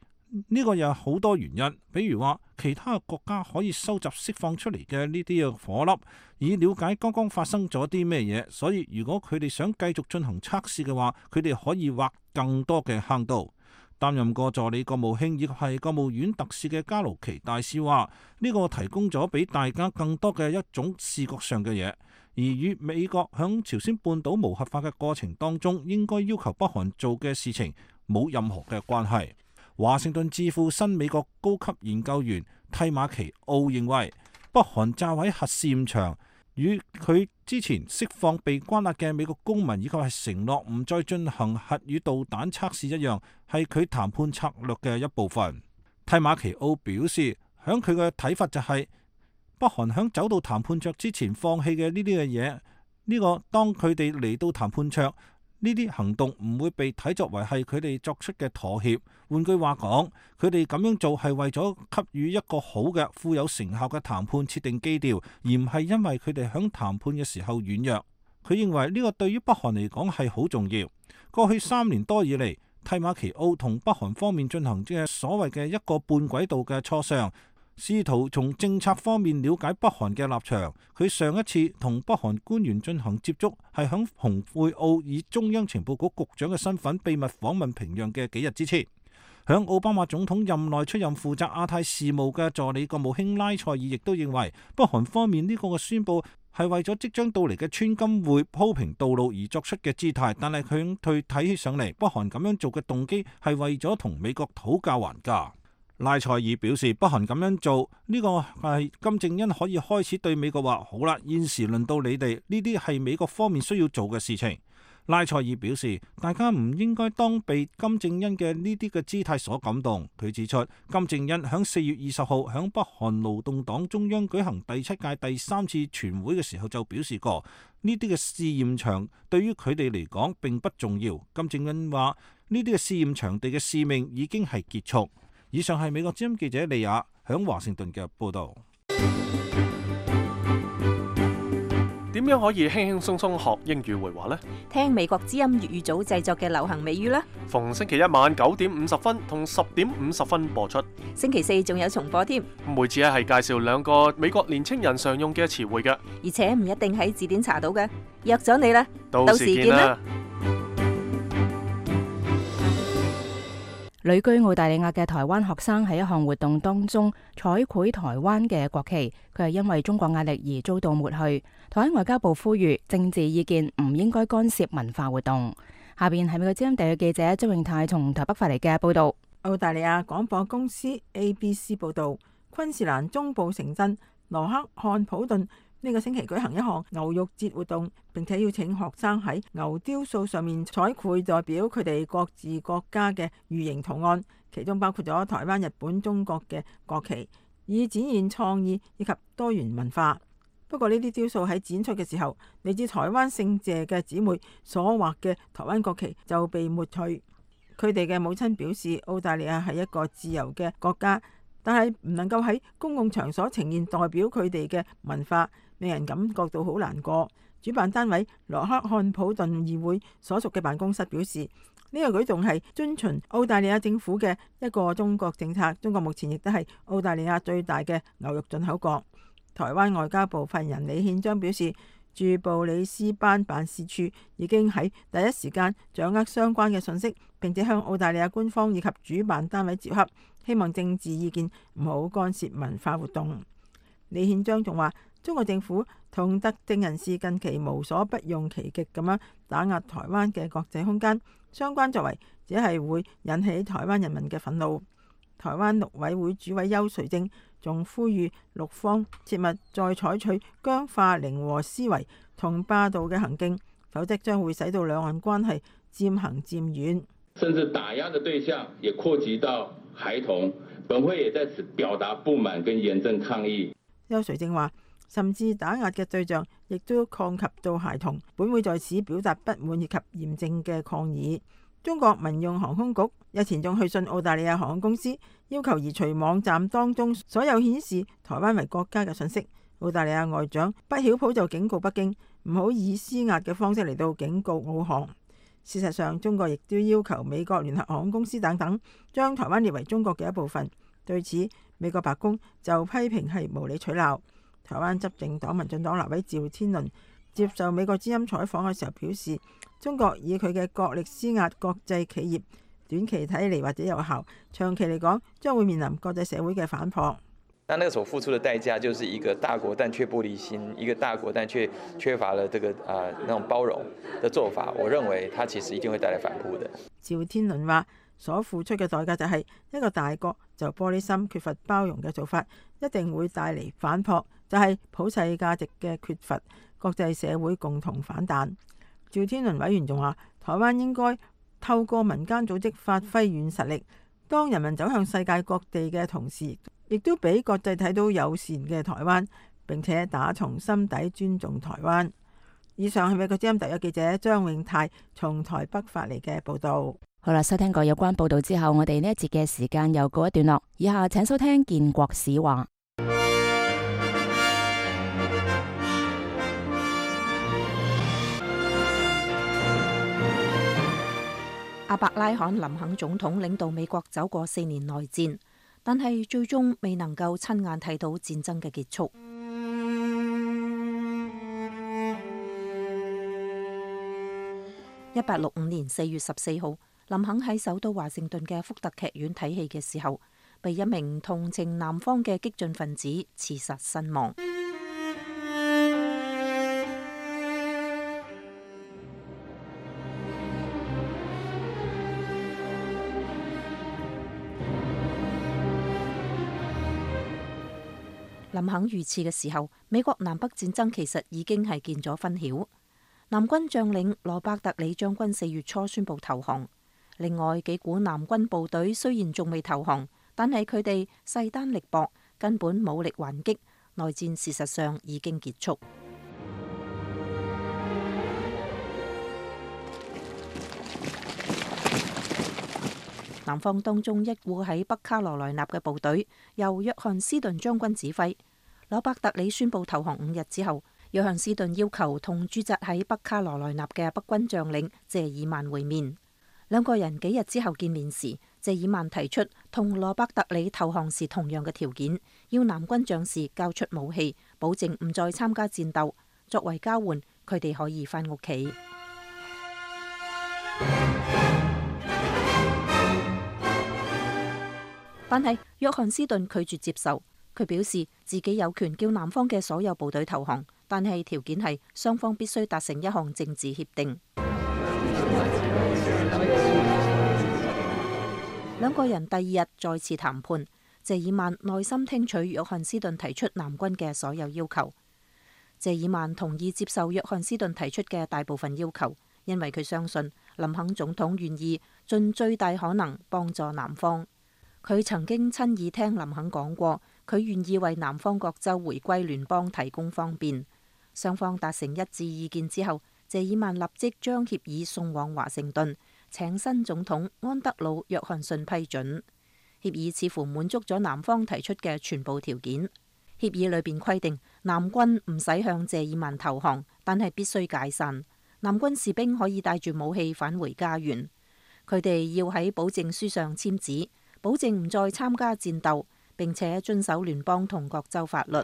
呢個有好多原因，比如話其他國家可以收集釋放出嚟嘅呢啲嘅火粒，以了解剛剛發生咗啲咩嘢。所以如果佢哋想繼續進行測試嘅話，佢哋可以挖更多嘅坑道。擔任過助理國務卿以及係國務院特使嘅加魯奇大使話，呢個提供咗俾大家更多嘅一種視覺上嘅嘢，而與美國響朝鮮半島無核化嘅過程當中應該要求北韓做嘅事情冇任何嘅關係。華盛頓智庫新美國高級研究員蒂馬奇奧認為，北韓炸毀核試驗場與佢之前釋放被關押嘅美國公民以及係承諾唔再進行核與導彈測試一樣，係佢談判策略嘅一部分。蒂馬奇奧表示，響佢嘅睇法就係，北韓響走到談判桌之前放棄嘅呢啲嘅嘢，呢個當佢哋嚟到談判桌，呢啲行動唔會被睇作為係佢哋作出嘅妥協。換句話講，佢哋咁樣做係為咗給予一個好嘅、富有成效嘅談判設定基調，而唔係因為佢哋響談判嘅時候軟弱。佢認為呢個對於北韓嚟講係好重要。過去3年多以嚟，蒂馬奇奧同北韓方面進行嘅所謂嘅一個半軌道嘅磋商，試圖從政策方面了解北韓嘅立場。佢上一次同北韓官員進行接觸係響蓬佩奧以中央情報局局長嘅身份秘密訪問平壤嘅幾日之前。響奧巴馬總統任內出任負責亞太事務嘅助理國務卿拉塞爾亦都認為，北韓方面呢個嘅宣佈係為咗即將到嚟嘅川金會鋪平道路而作出嘅姿態，但係佢睇起上嚟，北韓咁樣做嘅動機係為咗同美國討價還價。拉塞爾表示，北韓咁樣做呢個係金正恩可以開始對美國話，好啦，現時輪到你哋，呢啲係美國方面需要做嘅事情。拉塞爾表示，大家唔應該當被金正恩嘅呢啲嘅姿態所感動。佢指出，金正恩響4月20號響北韓勞動黨中央舉行第7屆第3次全會嘅時候就表示過，呢啲嘅試驗場對於佢哋嚟講並不重要。金正恩話，呢啲嘅試驗場地嘅使命已經係結束。以上係美國之音記者利亞響華盛頓嘅報道。點樣可以輕輕鬆鬆學英語會話呢？聽美國之音粵語組製作嘅流行美語啦。逢星期一晚9點50分同10點50分播出。星期4仲有重播添。每次係介紹2個美國年青人常用嘅詞彙嘅，而且唔一定喺字典查到嘅。約咗你啦，到時見啦。旅居澳大利亞嘅台灣學生喺一項活動當中彩繪台灣嘅國旗，佢係因為中國壓力而遭到抹去。台灣外交部呼籲政治意見唔應該干涉文化活動。下邊係美國之音地嘅記者周永泰從台北發嚟嘅報道。澳大利亞廣播公司 ABC 報道，昆士蘭中部城鎮羅克漢普頓呢個星期舉行一項牛肉節活動，並且邀請學生喺牛雕塑上面彩繪代表佢哋各自國家嘅魚形圖案，其中包括咗台灣、日本、中國嘅國旗，以展現創意以及多元文化。不過呢啲雕塑喺展出嘅時候，嚟自台灣姓謝嘅姊妹所畫嘅台灣國旗就被抹去。佢哋嘅母親表示，澳大利亞係一個自由嘅國家，但係唔能夠喺公共場所呈現代表佢哋嘅文化，令人感覺到好難過。主辦單位羅克漢普頓議會所屬嘅辦公室表示，呢個舉動係遵循澳大利亞政府嘅一個中國政策。中國目前亦都係澳大利亞最大嘅牛肉進口國。台灣外交部發言人李憲章表示，駐布里斯班辦事處已經喺第一時間掌握相關嘅信息，並且向澳大利亞官方以及主辦單位接洽，希望政治意見唔好干涉文化活動。李憲章仲話，中國政府同特定人士近期無所不用其極咁樣打壓台灣嘅國際空間，相關作為只係會引起台灣人民嘅憤怒。台灣陸委會主委邱垂正仲呼籲陸方切勿再採取僵化零和思維同霸道嘅行徑，否則將會使到兩岸關係漸行漸遠。甚至打壓的對象也擴及到孩童，本會也在此表達不滿跟嚴正抗議。邱垂正話，甚至打壓嘅對象亦都擴及到孩童，本會在此表達不滿以及嚴正嘅抗議。中國民用航空局日前仲去信澳大利亞航空公司，要求移除網站當中所有顯示台灣為國家嘅信息。澳大利亞外長畢曉普就警告北京唔好以施壓嘅方式嚟到警告澳航。事實上，中國亦都要求美國聯合航空公司等等將台灣列為中國嘅一部分。對此，美國白宮就批評係無理取鬧。台灣執政黨民進黨立委趙天麟接受美國之音採訪嘅時候表示，中國以佢嘅國力施壓國際企業，短期睇嚟或者有效，長期嚟講將會面臨國際社會嘅反撲。那個所付出的代價就是一個大國但卻玻璃心，一個大國但卻缺乏了這個那種包容的做法。我認為它其實一定會帶來反撲的。趙天麟話，所付出嘅代價就係一個大國就玻璃心、缺乏包容嘅做法，一定會帶嚟反撲，就係普世價值嘅缺乏，國際社會共同反彈。趙天麟委員仲話，台灣應該透過民間組織發揮軟實力，當人民走向世界各地嘅同時，亦都俾國際睇到友善嘅台灣，並且打從心底尊重台灣。以上係美國之音特約記者張永泰從台北發嚟嘅報道。好啦，收聽過有關報道之後，我哋呢一節嘅時間又告一段落。以下請收聽建國史話。阿伯拉罕林肯總統領導美國走過4年內戰，但係最終未能夠親眼睇到戰爭嘅結束。1865年4月14號，林肯喺首都華盛頓嘅福特劇院睇戲嘅時候，被一名同情南方嘅激進分子刺殺身亡。林肯遇刺嘅時候，美國南北戰爭其實已經係見咗分曉。南軍將領羅伯特里將軍4月初宣布投降。另外幾股南軍部隊雖然仲未投降，但係佢哋勢單力薄，根本冇力還擊。內戰事實上已經結束。南方當中一股喺北卡羅來納嘅部隊，由約翰斯頓將軍指揮。羅伯特里宣布投降5日之後，約翰斯頓要求同駐紮喺北卡羅來納嘅北軍將領謝爾曼會面。兩個人幾日之後見面時，謝爾曼提出同羅伯特里投降時同樣嘅條件，要南軍將士交出武器，保證唔再參加戰鬥。作為交換，佢哋可以返屋企。但係約翰斯頓拒絕接受，佢表示自己有權叫南方嘅所有部隊投降，但係條件係雙方必須達成一項政治協定。兩個人第二日再次談判，謝爾曼耐心聽取約翰斯頓提出南軍嘅所有要求。謝爾曼同意接受約翰斯頓提出嘅大部分要求，因為佢相信林肯總統願意盡最大可能幫助南方。佢曾經親耳聽林肯講過，佢願意為南方各州回歸聯邦提供方便。雙方達成一致意見之後，謝爾曼立即將協議送往華盛頓，請新總統安德魯約翰遜批准。協議似乎滿足咗南方提出嘅全部條件。協議裏邊規定，南軍唔使向謝爾曼投降，但係必須解散。南軍士兵可以帶住武器返回家園。佢哋要喺保證書上簽字，保證唔再參加戰鬥，並且遵守聯邦同各州法律。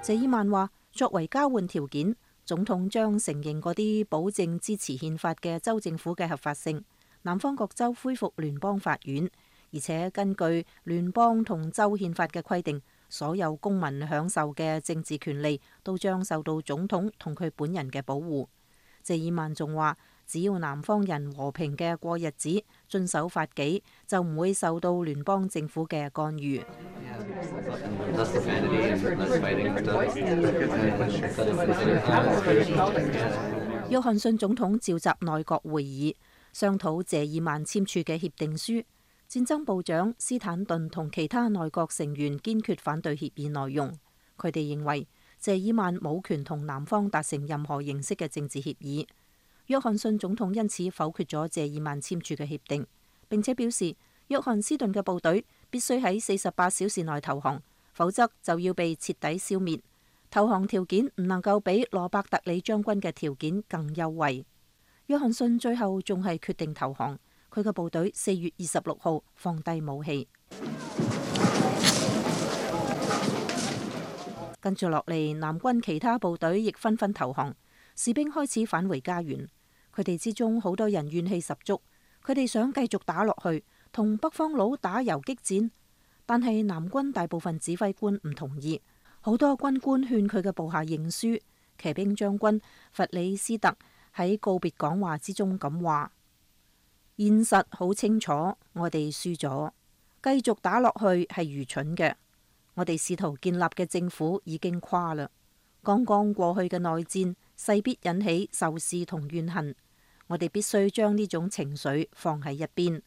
謝爾曼話，作為交換條件，總統將承認嗰啲保證支持憲法嘅州政府嘅合法性。南方各州恢復聯邦法院，而且根據聯邦同州憲法嘅規定，所有公民享受嘅政治權利都將受到總統同佢本人嘅保護。謝爾曼仲話，只要南方人和平嘅過日子，遵守法紀，就唔會受到聯邦政府嘅干預。約翰遜總統召集內閣會議，商討謝爾曼簽署嘅協定書。戰爭部長斯坦頓同其他內閣成員堅決反對協議內容。佢哋認為謝爾曼冇權同南方達成任何形式嘅政治協議。約翰遜總統因此否決咗謝爾曼簽署嘅協定，並且表示約翰斯頓嘅部隊必須喺48小時內投降，否則就要被徹底消滅。投降條件唔能夠比羅伯特里將軍嘅條件更優惠。約翰遜最後仲係決定投降，佢嘅部隊4月26號放低武器。跟住落嚟，南軍其他部隊亦紛紛投降，士兵開始返回家園。佢哋之中好多人怨氣十足，佢哋想繼續打落去，同北方佬打游擊戰。但係南軍大部分指揮官唔同意，好多軍官勸佢嘅部下認輸。騎兵將軍弗里斯特喺告別講話之中咁話：現實好清楚，我哋輸咗，繼續打落去係愚蠢嘅。我哋試圖建立嘅政府已經垮啦。剛剛過去嘅內戰勢必引起仇視同怨恨，我哋必須將呢種情緒放喺一邊。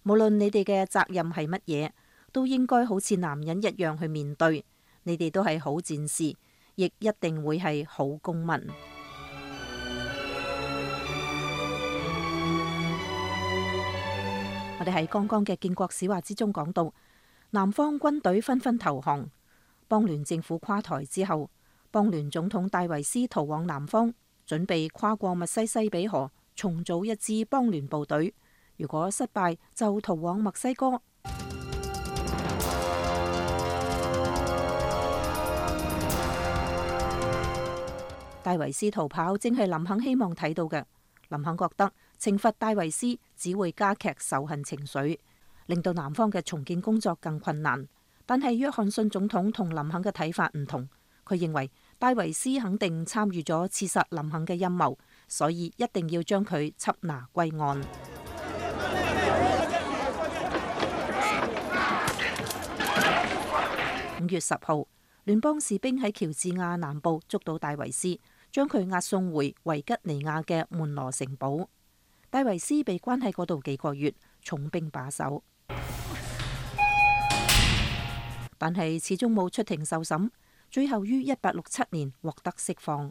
無論你哋嘅責任係乜嘢，都應該好似男人一樣去面對。你哋都係好戰士，亦一定會係好公民。我哋喺剛剛嘅建國史話之中講到，南方軍隊紛紛投降，邦聯政府垮台之後，邦聯總統戴維斯逃往南方，準備跨過密西西比河，重組一支邦聯部隊。如果失敗，就逃往墨西哥。戴維斯逃跑，正係林肯希望睇到嘅。林肯覺得懲罰戴維斯只會加劇仇恨情緒，令到南方嘅重建工作更困難。但係約翰遜總統同林肯嘅睇法唔同，佢認為戴維斯肯定參與咗刺殺林肯嘅陰謀，所以一定要將佢緝拿歸案。5月10號，聯邦士兵喺喬治亞南部捉到戴維斯，將佢押送回維吉尼亞嘅門羅城堡。戴維斯被關喺嗰度幾個月，重兵把守，但係始終冇出庭受審，最後於1867年獲得釋放。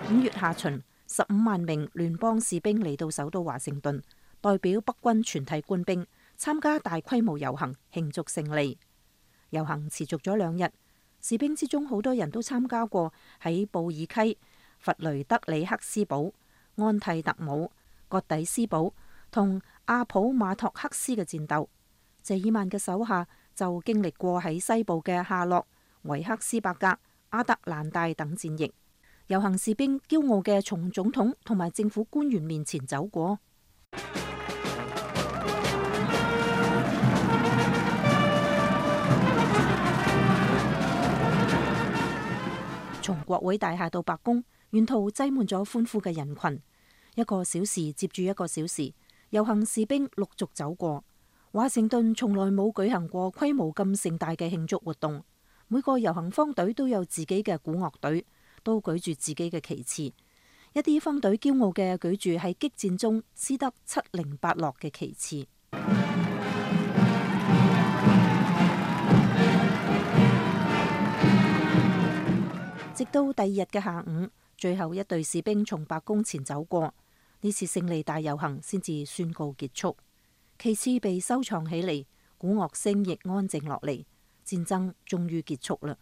5月下旬，15萬名聯邦士兵嚟到首都華盛頓，代表北軍全體官兵參加大規模遊行慶祝勝利。遊行持續咗2日，士兵之中好多人都參加過喺布爾溪弗雷德里克斯堡、安蒂特姆、葛底斯堡同阿普馬托克斯嘅戰鬥。謝爾曼嘅手下就經歷過喺西部嘅夏洛、維克斯伯格、阿特蘭大等戰役。遊行士兵驕傲嘅從總統同埋政府官員面前走過。從國會大廈到白宮，沿途擠滿咗歡呼嘅人群。一個小時接住一個小時，遊行士兵陸續走過。華盛頓從來冇舉行過規模咁盛大嘅慶祝活動。每個遊行方隊都有自己嘅鼓樂隊，都舉住自己嘅旗幟。一啲方隊驕傲嘅舉住喺激戰中撕得七零八落嘅旗幟。直到第二日嘅下午，最後一隊士兵從白宮前走過，呢次勝利大遊行先至宣告結束。旗幟被收藏起嚟，鼓樂聲亦安靜落嚟，戰爭終於結束啦。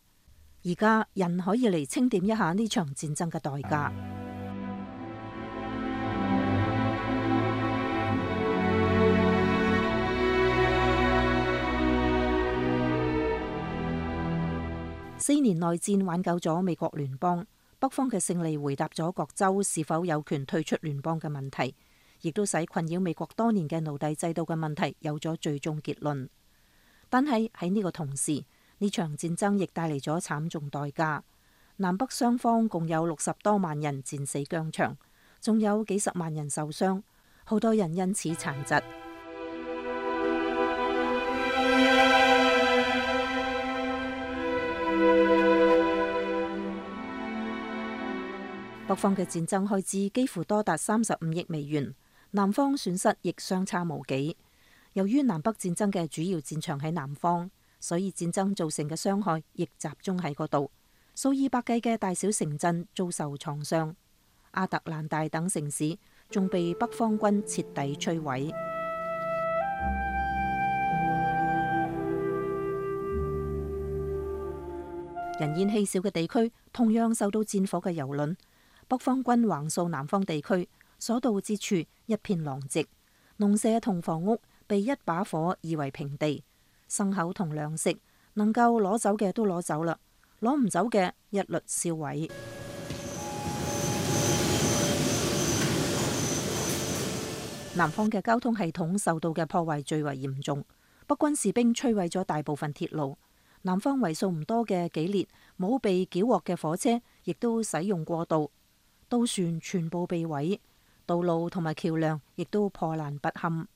而家人可以嚟清點一下呢場戰爭嘅代價。4年內戰挽救咗美國聯邦，北方嘅勝利回答咗各州是否有權退出聯邦嘅問題，亦都使困擾美國多年嘅奴隸制度嘅問題有咗最終結論。但係喺呢個同時，呢場戰爭亦帶嚟咗慘重代價。南北雙方共有60多萬人戰死疆場，仲有幾十萬人受傷，好多人因此殘疾。北方嘅戰爭開支幾乎多達35億美元，南方損失亦相差無幾。由於南北戰爭嘅主要戰場喺南方，所以戰爭造成嘅傷害亦集中喺嗰度。數以百計嘅大小城鎮遭受創傷，亞特蘭大等城市仲被北方軍徹底摧毀。人煙稀少嘅地區同樣受到戰火嘅蹂躪。北方軍橫掃南方地區，所到之處一片狼藉，農舍同房屋被一把火夷為平地，牲口同糧食能夠攞走嘅都攞走啦，攞唔走嘅一律燒毀。南方嘅交通系統受到嘅破壞最為嚴重，北軍士兵摧毀咗大部分鐵路，南方為數唔多嘅幾列冇被繳獲嘅火車亦都使用過度。渡船全部被毀，道路同埋橋樑亦都破爛不堪。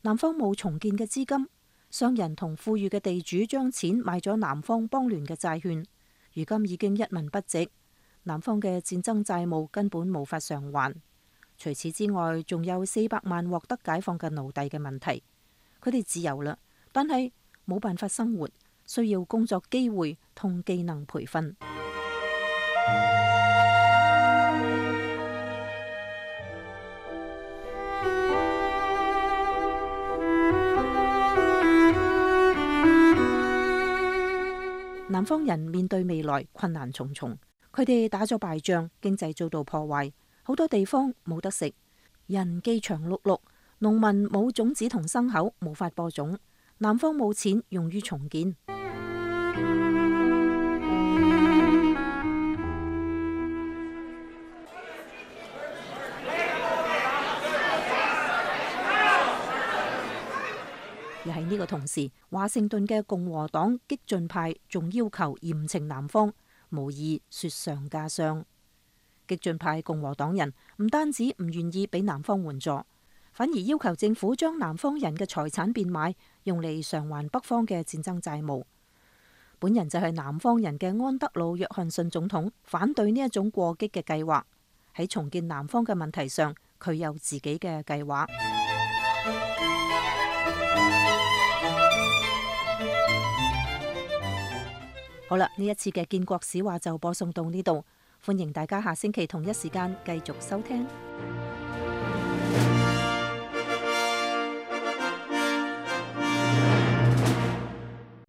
南方冇重建嘅資金，商人同富裕嘅地主將錢買咗南方邦聯嘅債券，如今已經一文不值。南方嘅戰爭債務根本無法償還。除此之外，仲有400萬獲得解放嘅奴隸嘅問題。佢哋自由啦，但係冇辦法生活，需要工作機會同技能培訓。南方人面對未來困難重重，佢哋打咗敗仗，經濟遭到破壞，好多地方冇得食，人飢腸轆轆，農民冇種子同牲口，無法播種，南方冇錢用於重建。而喺呢個同時，華盛頓嘅共和黨激進派仲要求嚴懲南方，無疑雪上加霜。激進派共和黨人唔單止唔願意俾南方援助，反而要求政府將南方人嘅財產變賣，用嚟償還北方嘅戰爭債務。本人就係南方人嘅安德魯約翰遜總統，反對呢一種過激嘅計劃。喺重建南方嘅問題上，佢有自己嘅計劃。好啦，呢一次嘅建國史話就播送到呢度，歡迎大家下星期同一時間繼續收聽。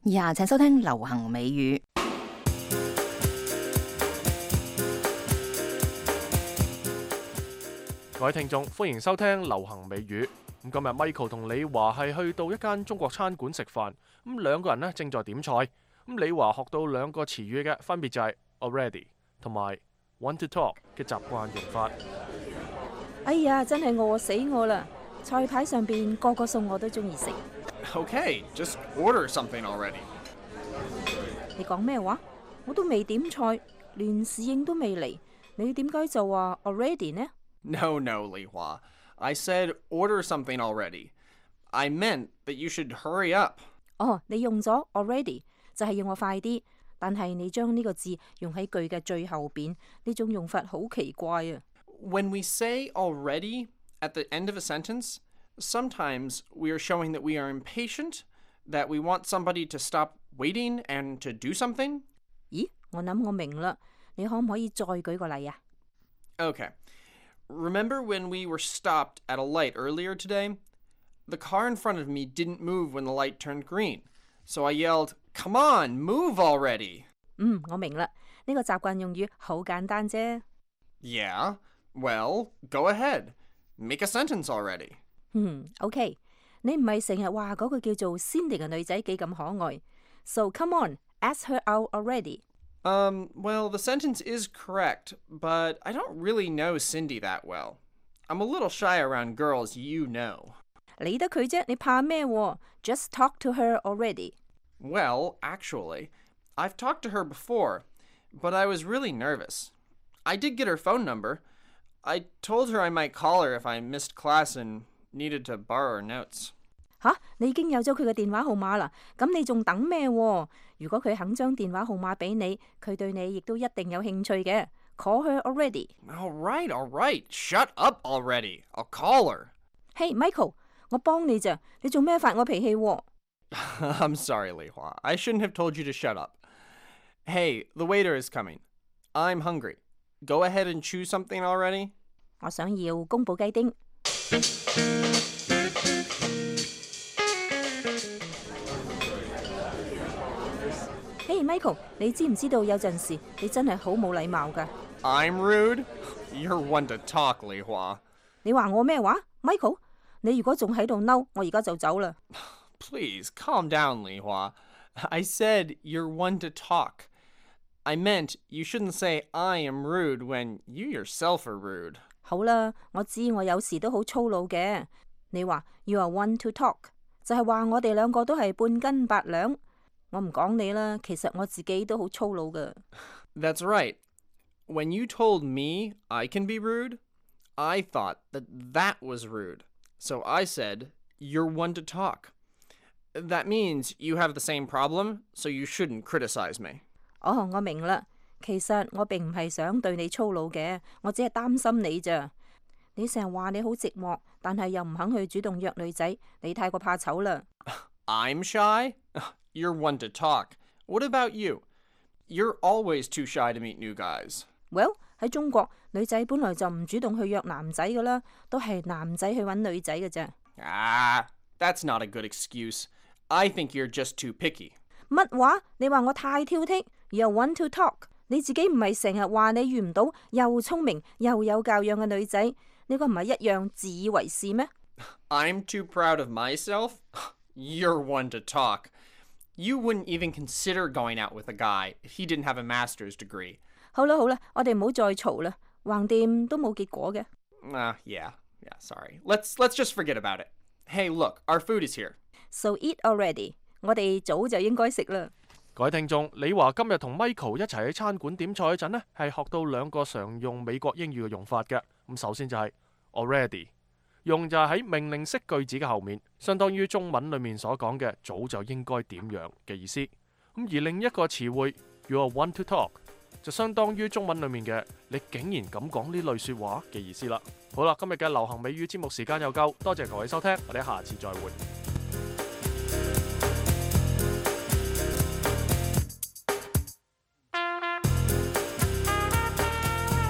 以下請收聽流行美語。各位聽眾，歡迎收聽流行美語。咁今日 Michael 同李華係去到一間中國餐館食飯，咁兩個人呢正在點菜。咁李華學到兩個詞語嘅，分別就係 already 同埋 want to talk 嘅習慣用法。哎呀，真係餓死我啦！菜牌上邊個個餸我都中意食。Okay, just order something already. 你講咩話？我都未點菜，連侍應都未嚟，你點解就話 already 呢？ No, Li Hua. I said order something already. I meant that you should hurry up. 哦，你用咗 already 就係要我快啲，但係你將呢個字用喺句嘅最後邊，呢種用法好奇怪啊。When we say already at the end of a sentence, sometimes we are showing that we are impatient, that we want somebody to stop waiting and to do something. 咦，我諗我明啦，你可唔可以再舉個例啊？ Okay. Remember when we were stopped at a light earlier today? The car in front of me didn't move when the light turned green. So I yelled, "Come on, move already!" 我明啦，呢個習慣用語好簡單啫。Yeah, well, go ahead. Make a sentence already. OK， 你唔係成日話嗰個叫做 Cindy 嘅女仔幾咁可愛 ，So come on, ask her out already. Well, the sentence is correct, but I don't really know Cindy that well. I'm a little shy around girls you know. 理得佢啫，你怕咩？Just talk to her already. Well, actually, I've talked to her before, but I was really nervous. I did get her phone number. I told her I might call her if I missed class and needed to borrow her notes. 吓，你已經有咗佢嘅電話號碼啦，咁你仲等咩？如果佢肯將電話號碼俾你，佢對你亦都一定有興趣嘅。Call her already. All right. Shut up already. I'll call her. Hey, Michael, 我幫你咋，你做咩發我脾氣？I'm sorry, Li Hua. I shouldn't have told you to shut up. Hey, the waiter is coming. I'm hungry. Go ahead and choose something already. 我想要宮保雞丁。Hey, Michael， 你知唔知道有陣時你真係好冇禮貌㗎？ I'm rude? You're one to talk, Li Hua. 你話我咩話 ？Michael， 你如果仲喺度嬲，我而家就走啦。Please, calm down, Li Hua. I said you're one to talk. I meant you shouldn't say I am rude when you yourself are rude. 好啦，我知我有時都好粗魯嘅。你話 you are one to talk， 就係話我哋兩個都係半斤八兩。我唔講你啦，其實我自己都好粗魯㗎。That's right. When you told me I can be rude, I thought that was rude. So I said, you're one to talk. That means you have the same problem, so you shouldn't criticize me. 哦，我明啦。其實我並唔係想對你粗魯嘅，我只係擔心你咋。你成日話你好寂寞，但係又唔肯去主動約女仔，你太過怕醜啦。I'm shy? You're one to talk. What about you? You're always too shy to meet new guys. Well, 喺中國，女仔本來就唔主動去約男仔㗎啦，都係男仔去揾女仔嘅啫。That's not a good excuse. I think you're just too picky. 乜話？你話我太挑剔？You're one to talk. 你自己唔係成日話你遇唔到又聰明又有教養嘅女仔，呢個唔係一樣自以為是咩？ I'm too proud of myself? You're one to talk. You wouldn't even consider going out with a guy if he didn't have a master's degree. 好啦，我哋唔好再嘈啦，橫掂都冇結果嘅。Yeah, sorry. Let's just forget about it. Hey, look, our food is here. So eat already. 我哋早就應該食啦。各位聽眾，李華今日同 Michael 一齊喺餐館點菜嗰陣呢，係學到兩個常用美國英語嘅用法嘅。咁首先就係 already， 用就係喺命令式句子嘅後面，相當於中文裡面所講嘅早就應該點樣嘅意思。咁而另一個詞彙 you are one to talk， 就相當於中文裡面嘅你竟然咁講呢類説話嘅意思啦。好啦，今日嘅流行美語節目時間又夠，多謝各位收聽，我哋下次再會。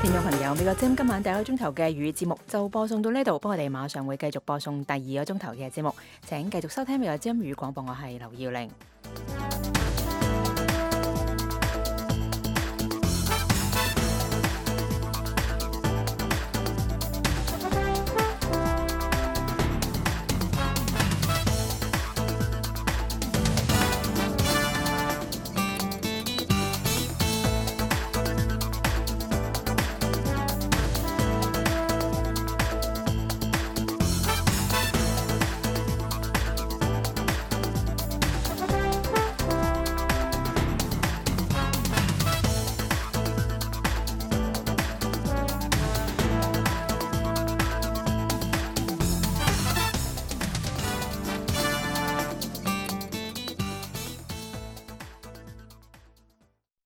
聽眾朋友，美國之音今晚第一個鐘頭嘅粵語節目就播送到呢度，不過我哋馬上會繼續播送第二個鐘頭嘅節目，請繼續收聽美國之音粵語廣播，我係劉耀玲。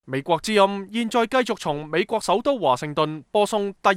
美國之音現在繼續從美國首都華盛頓播送第二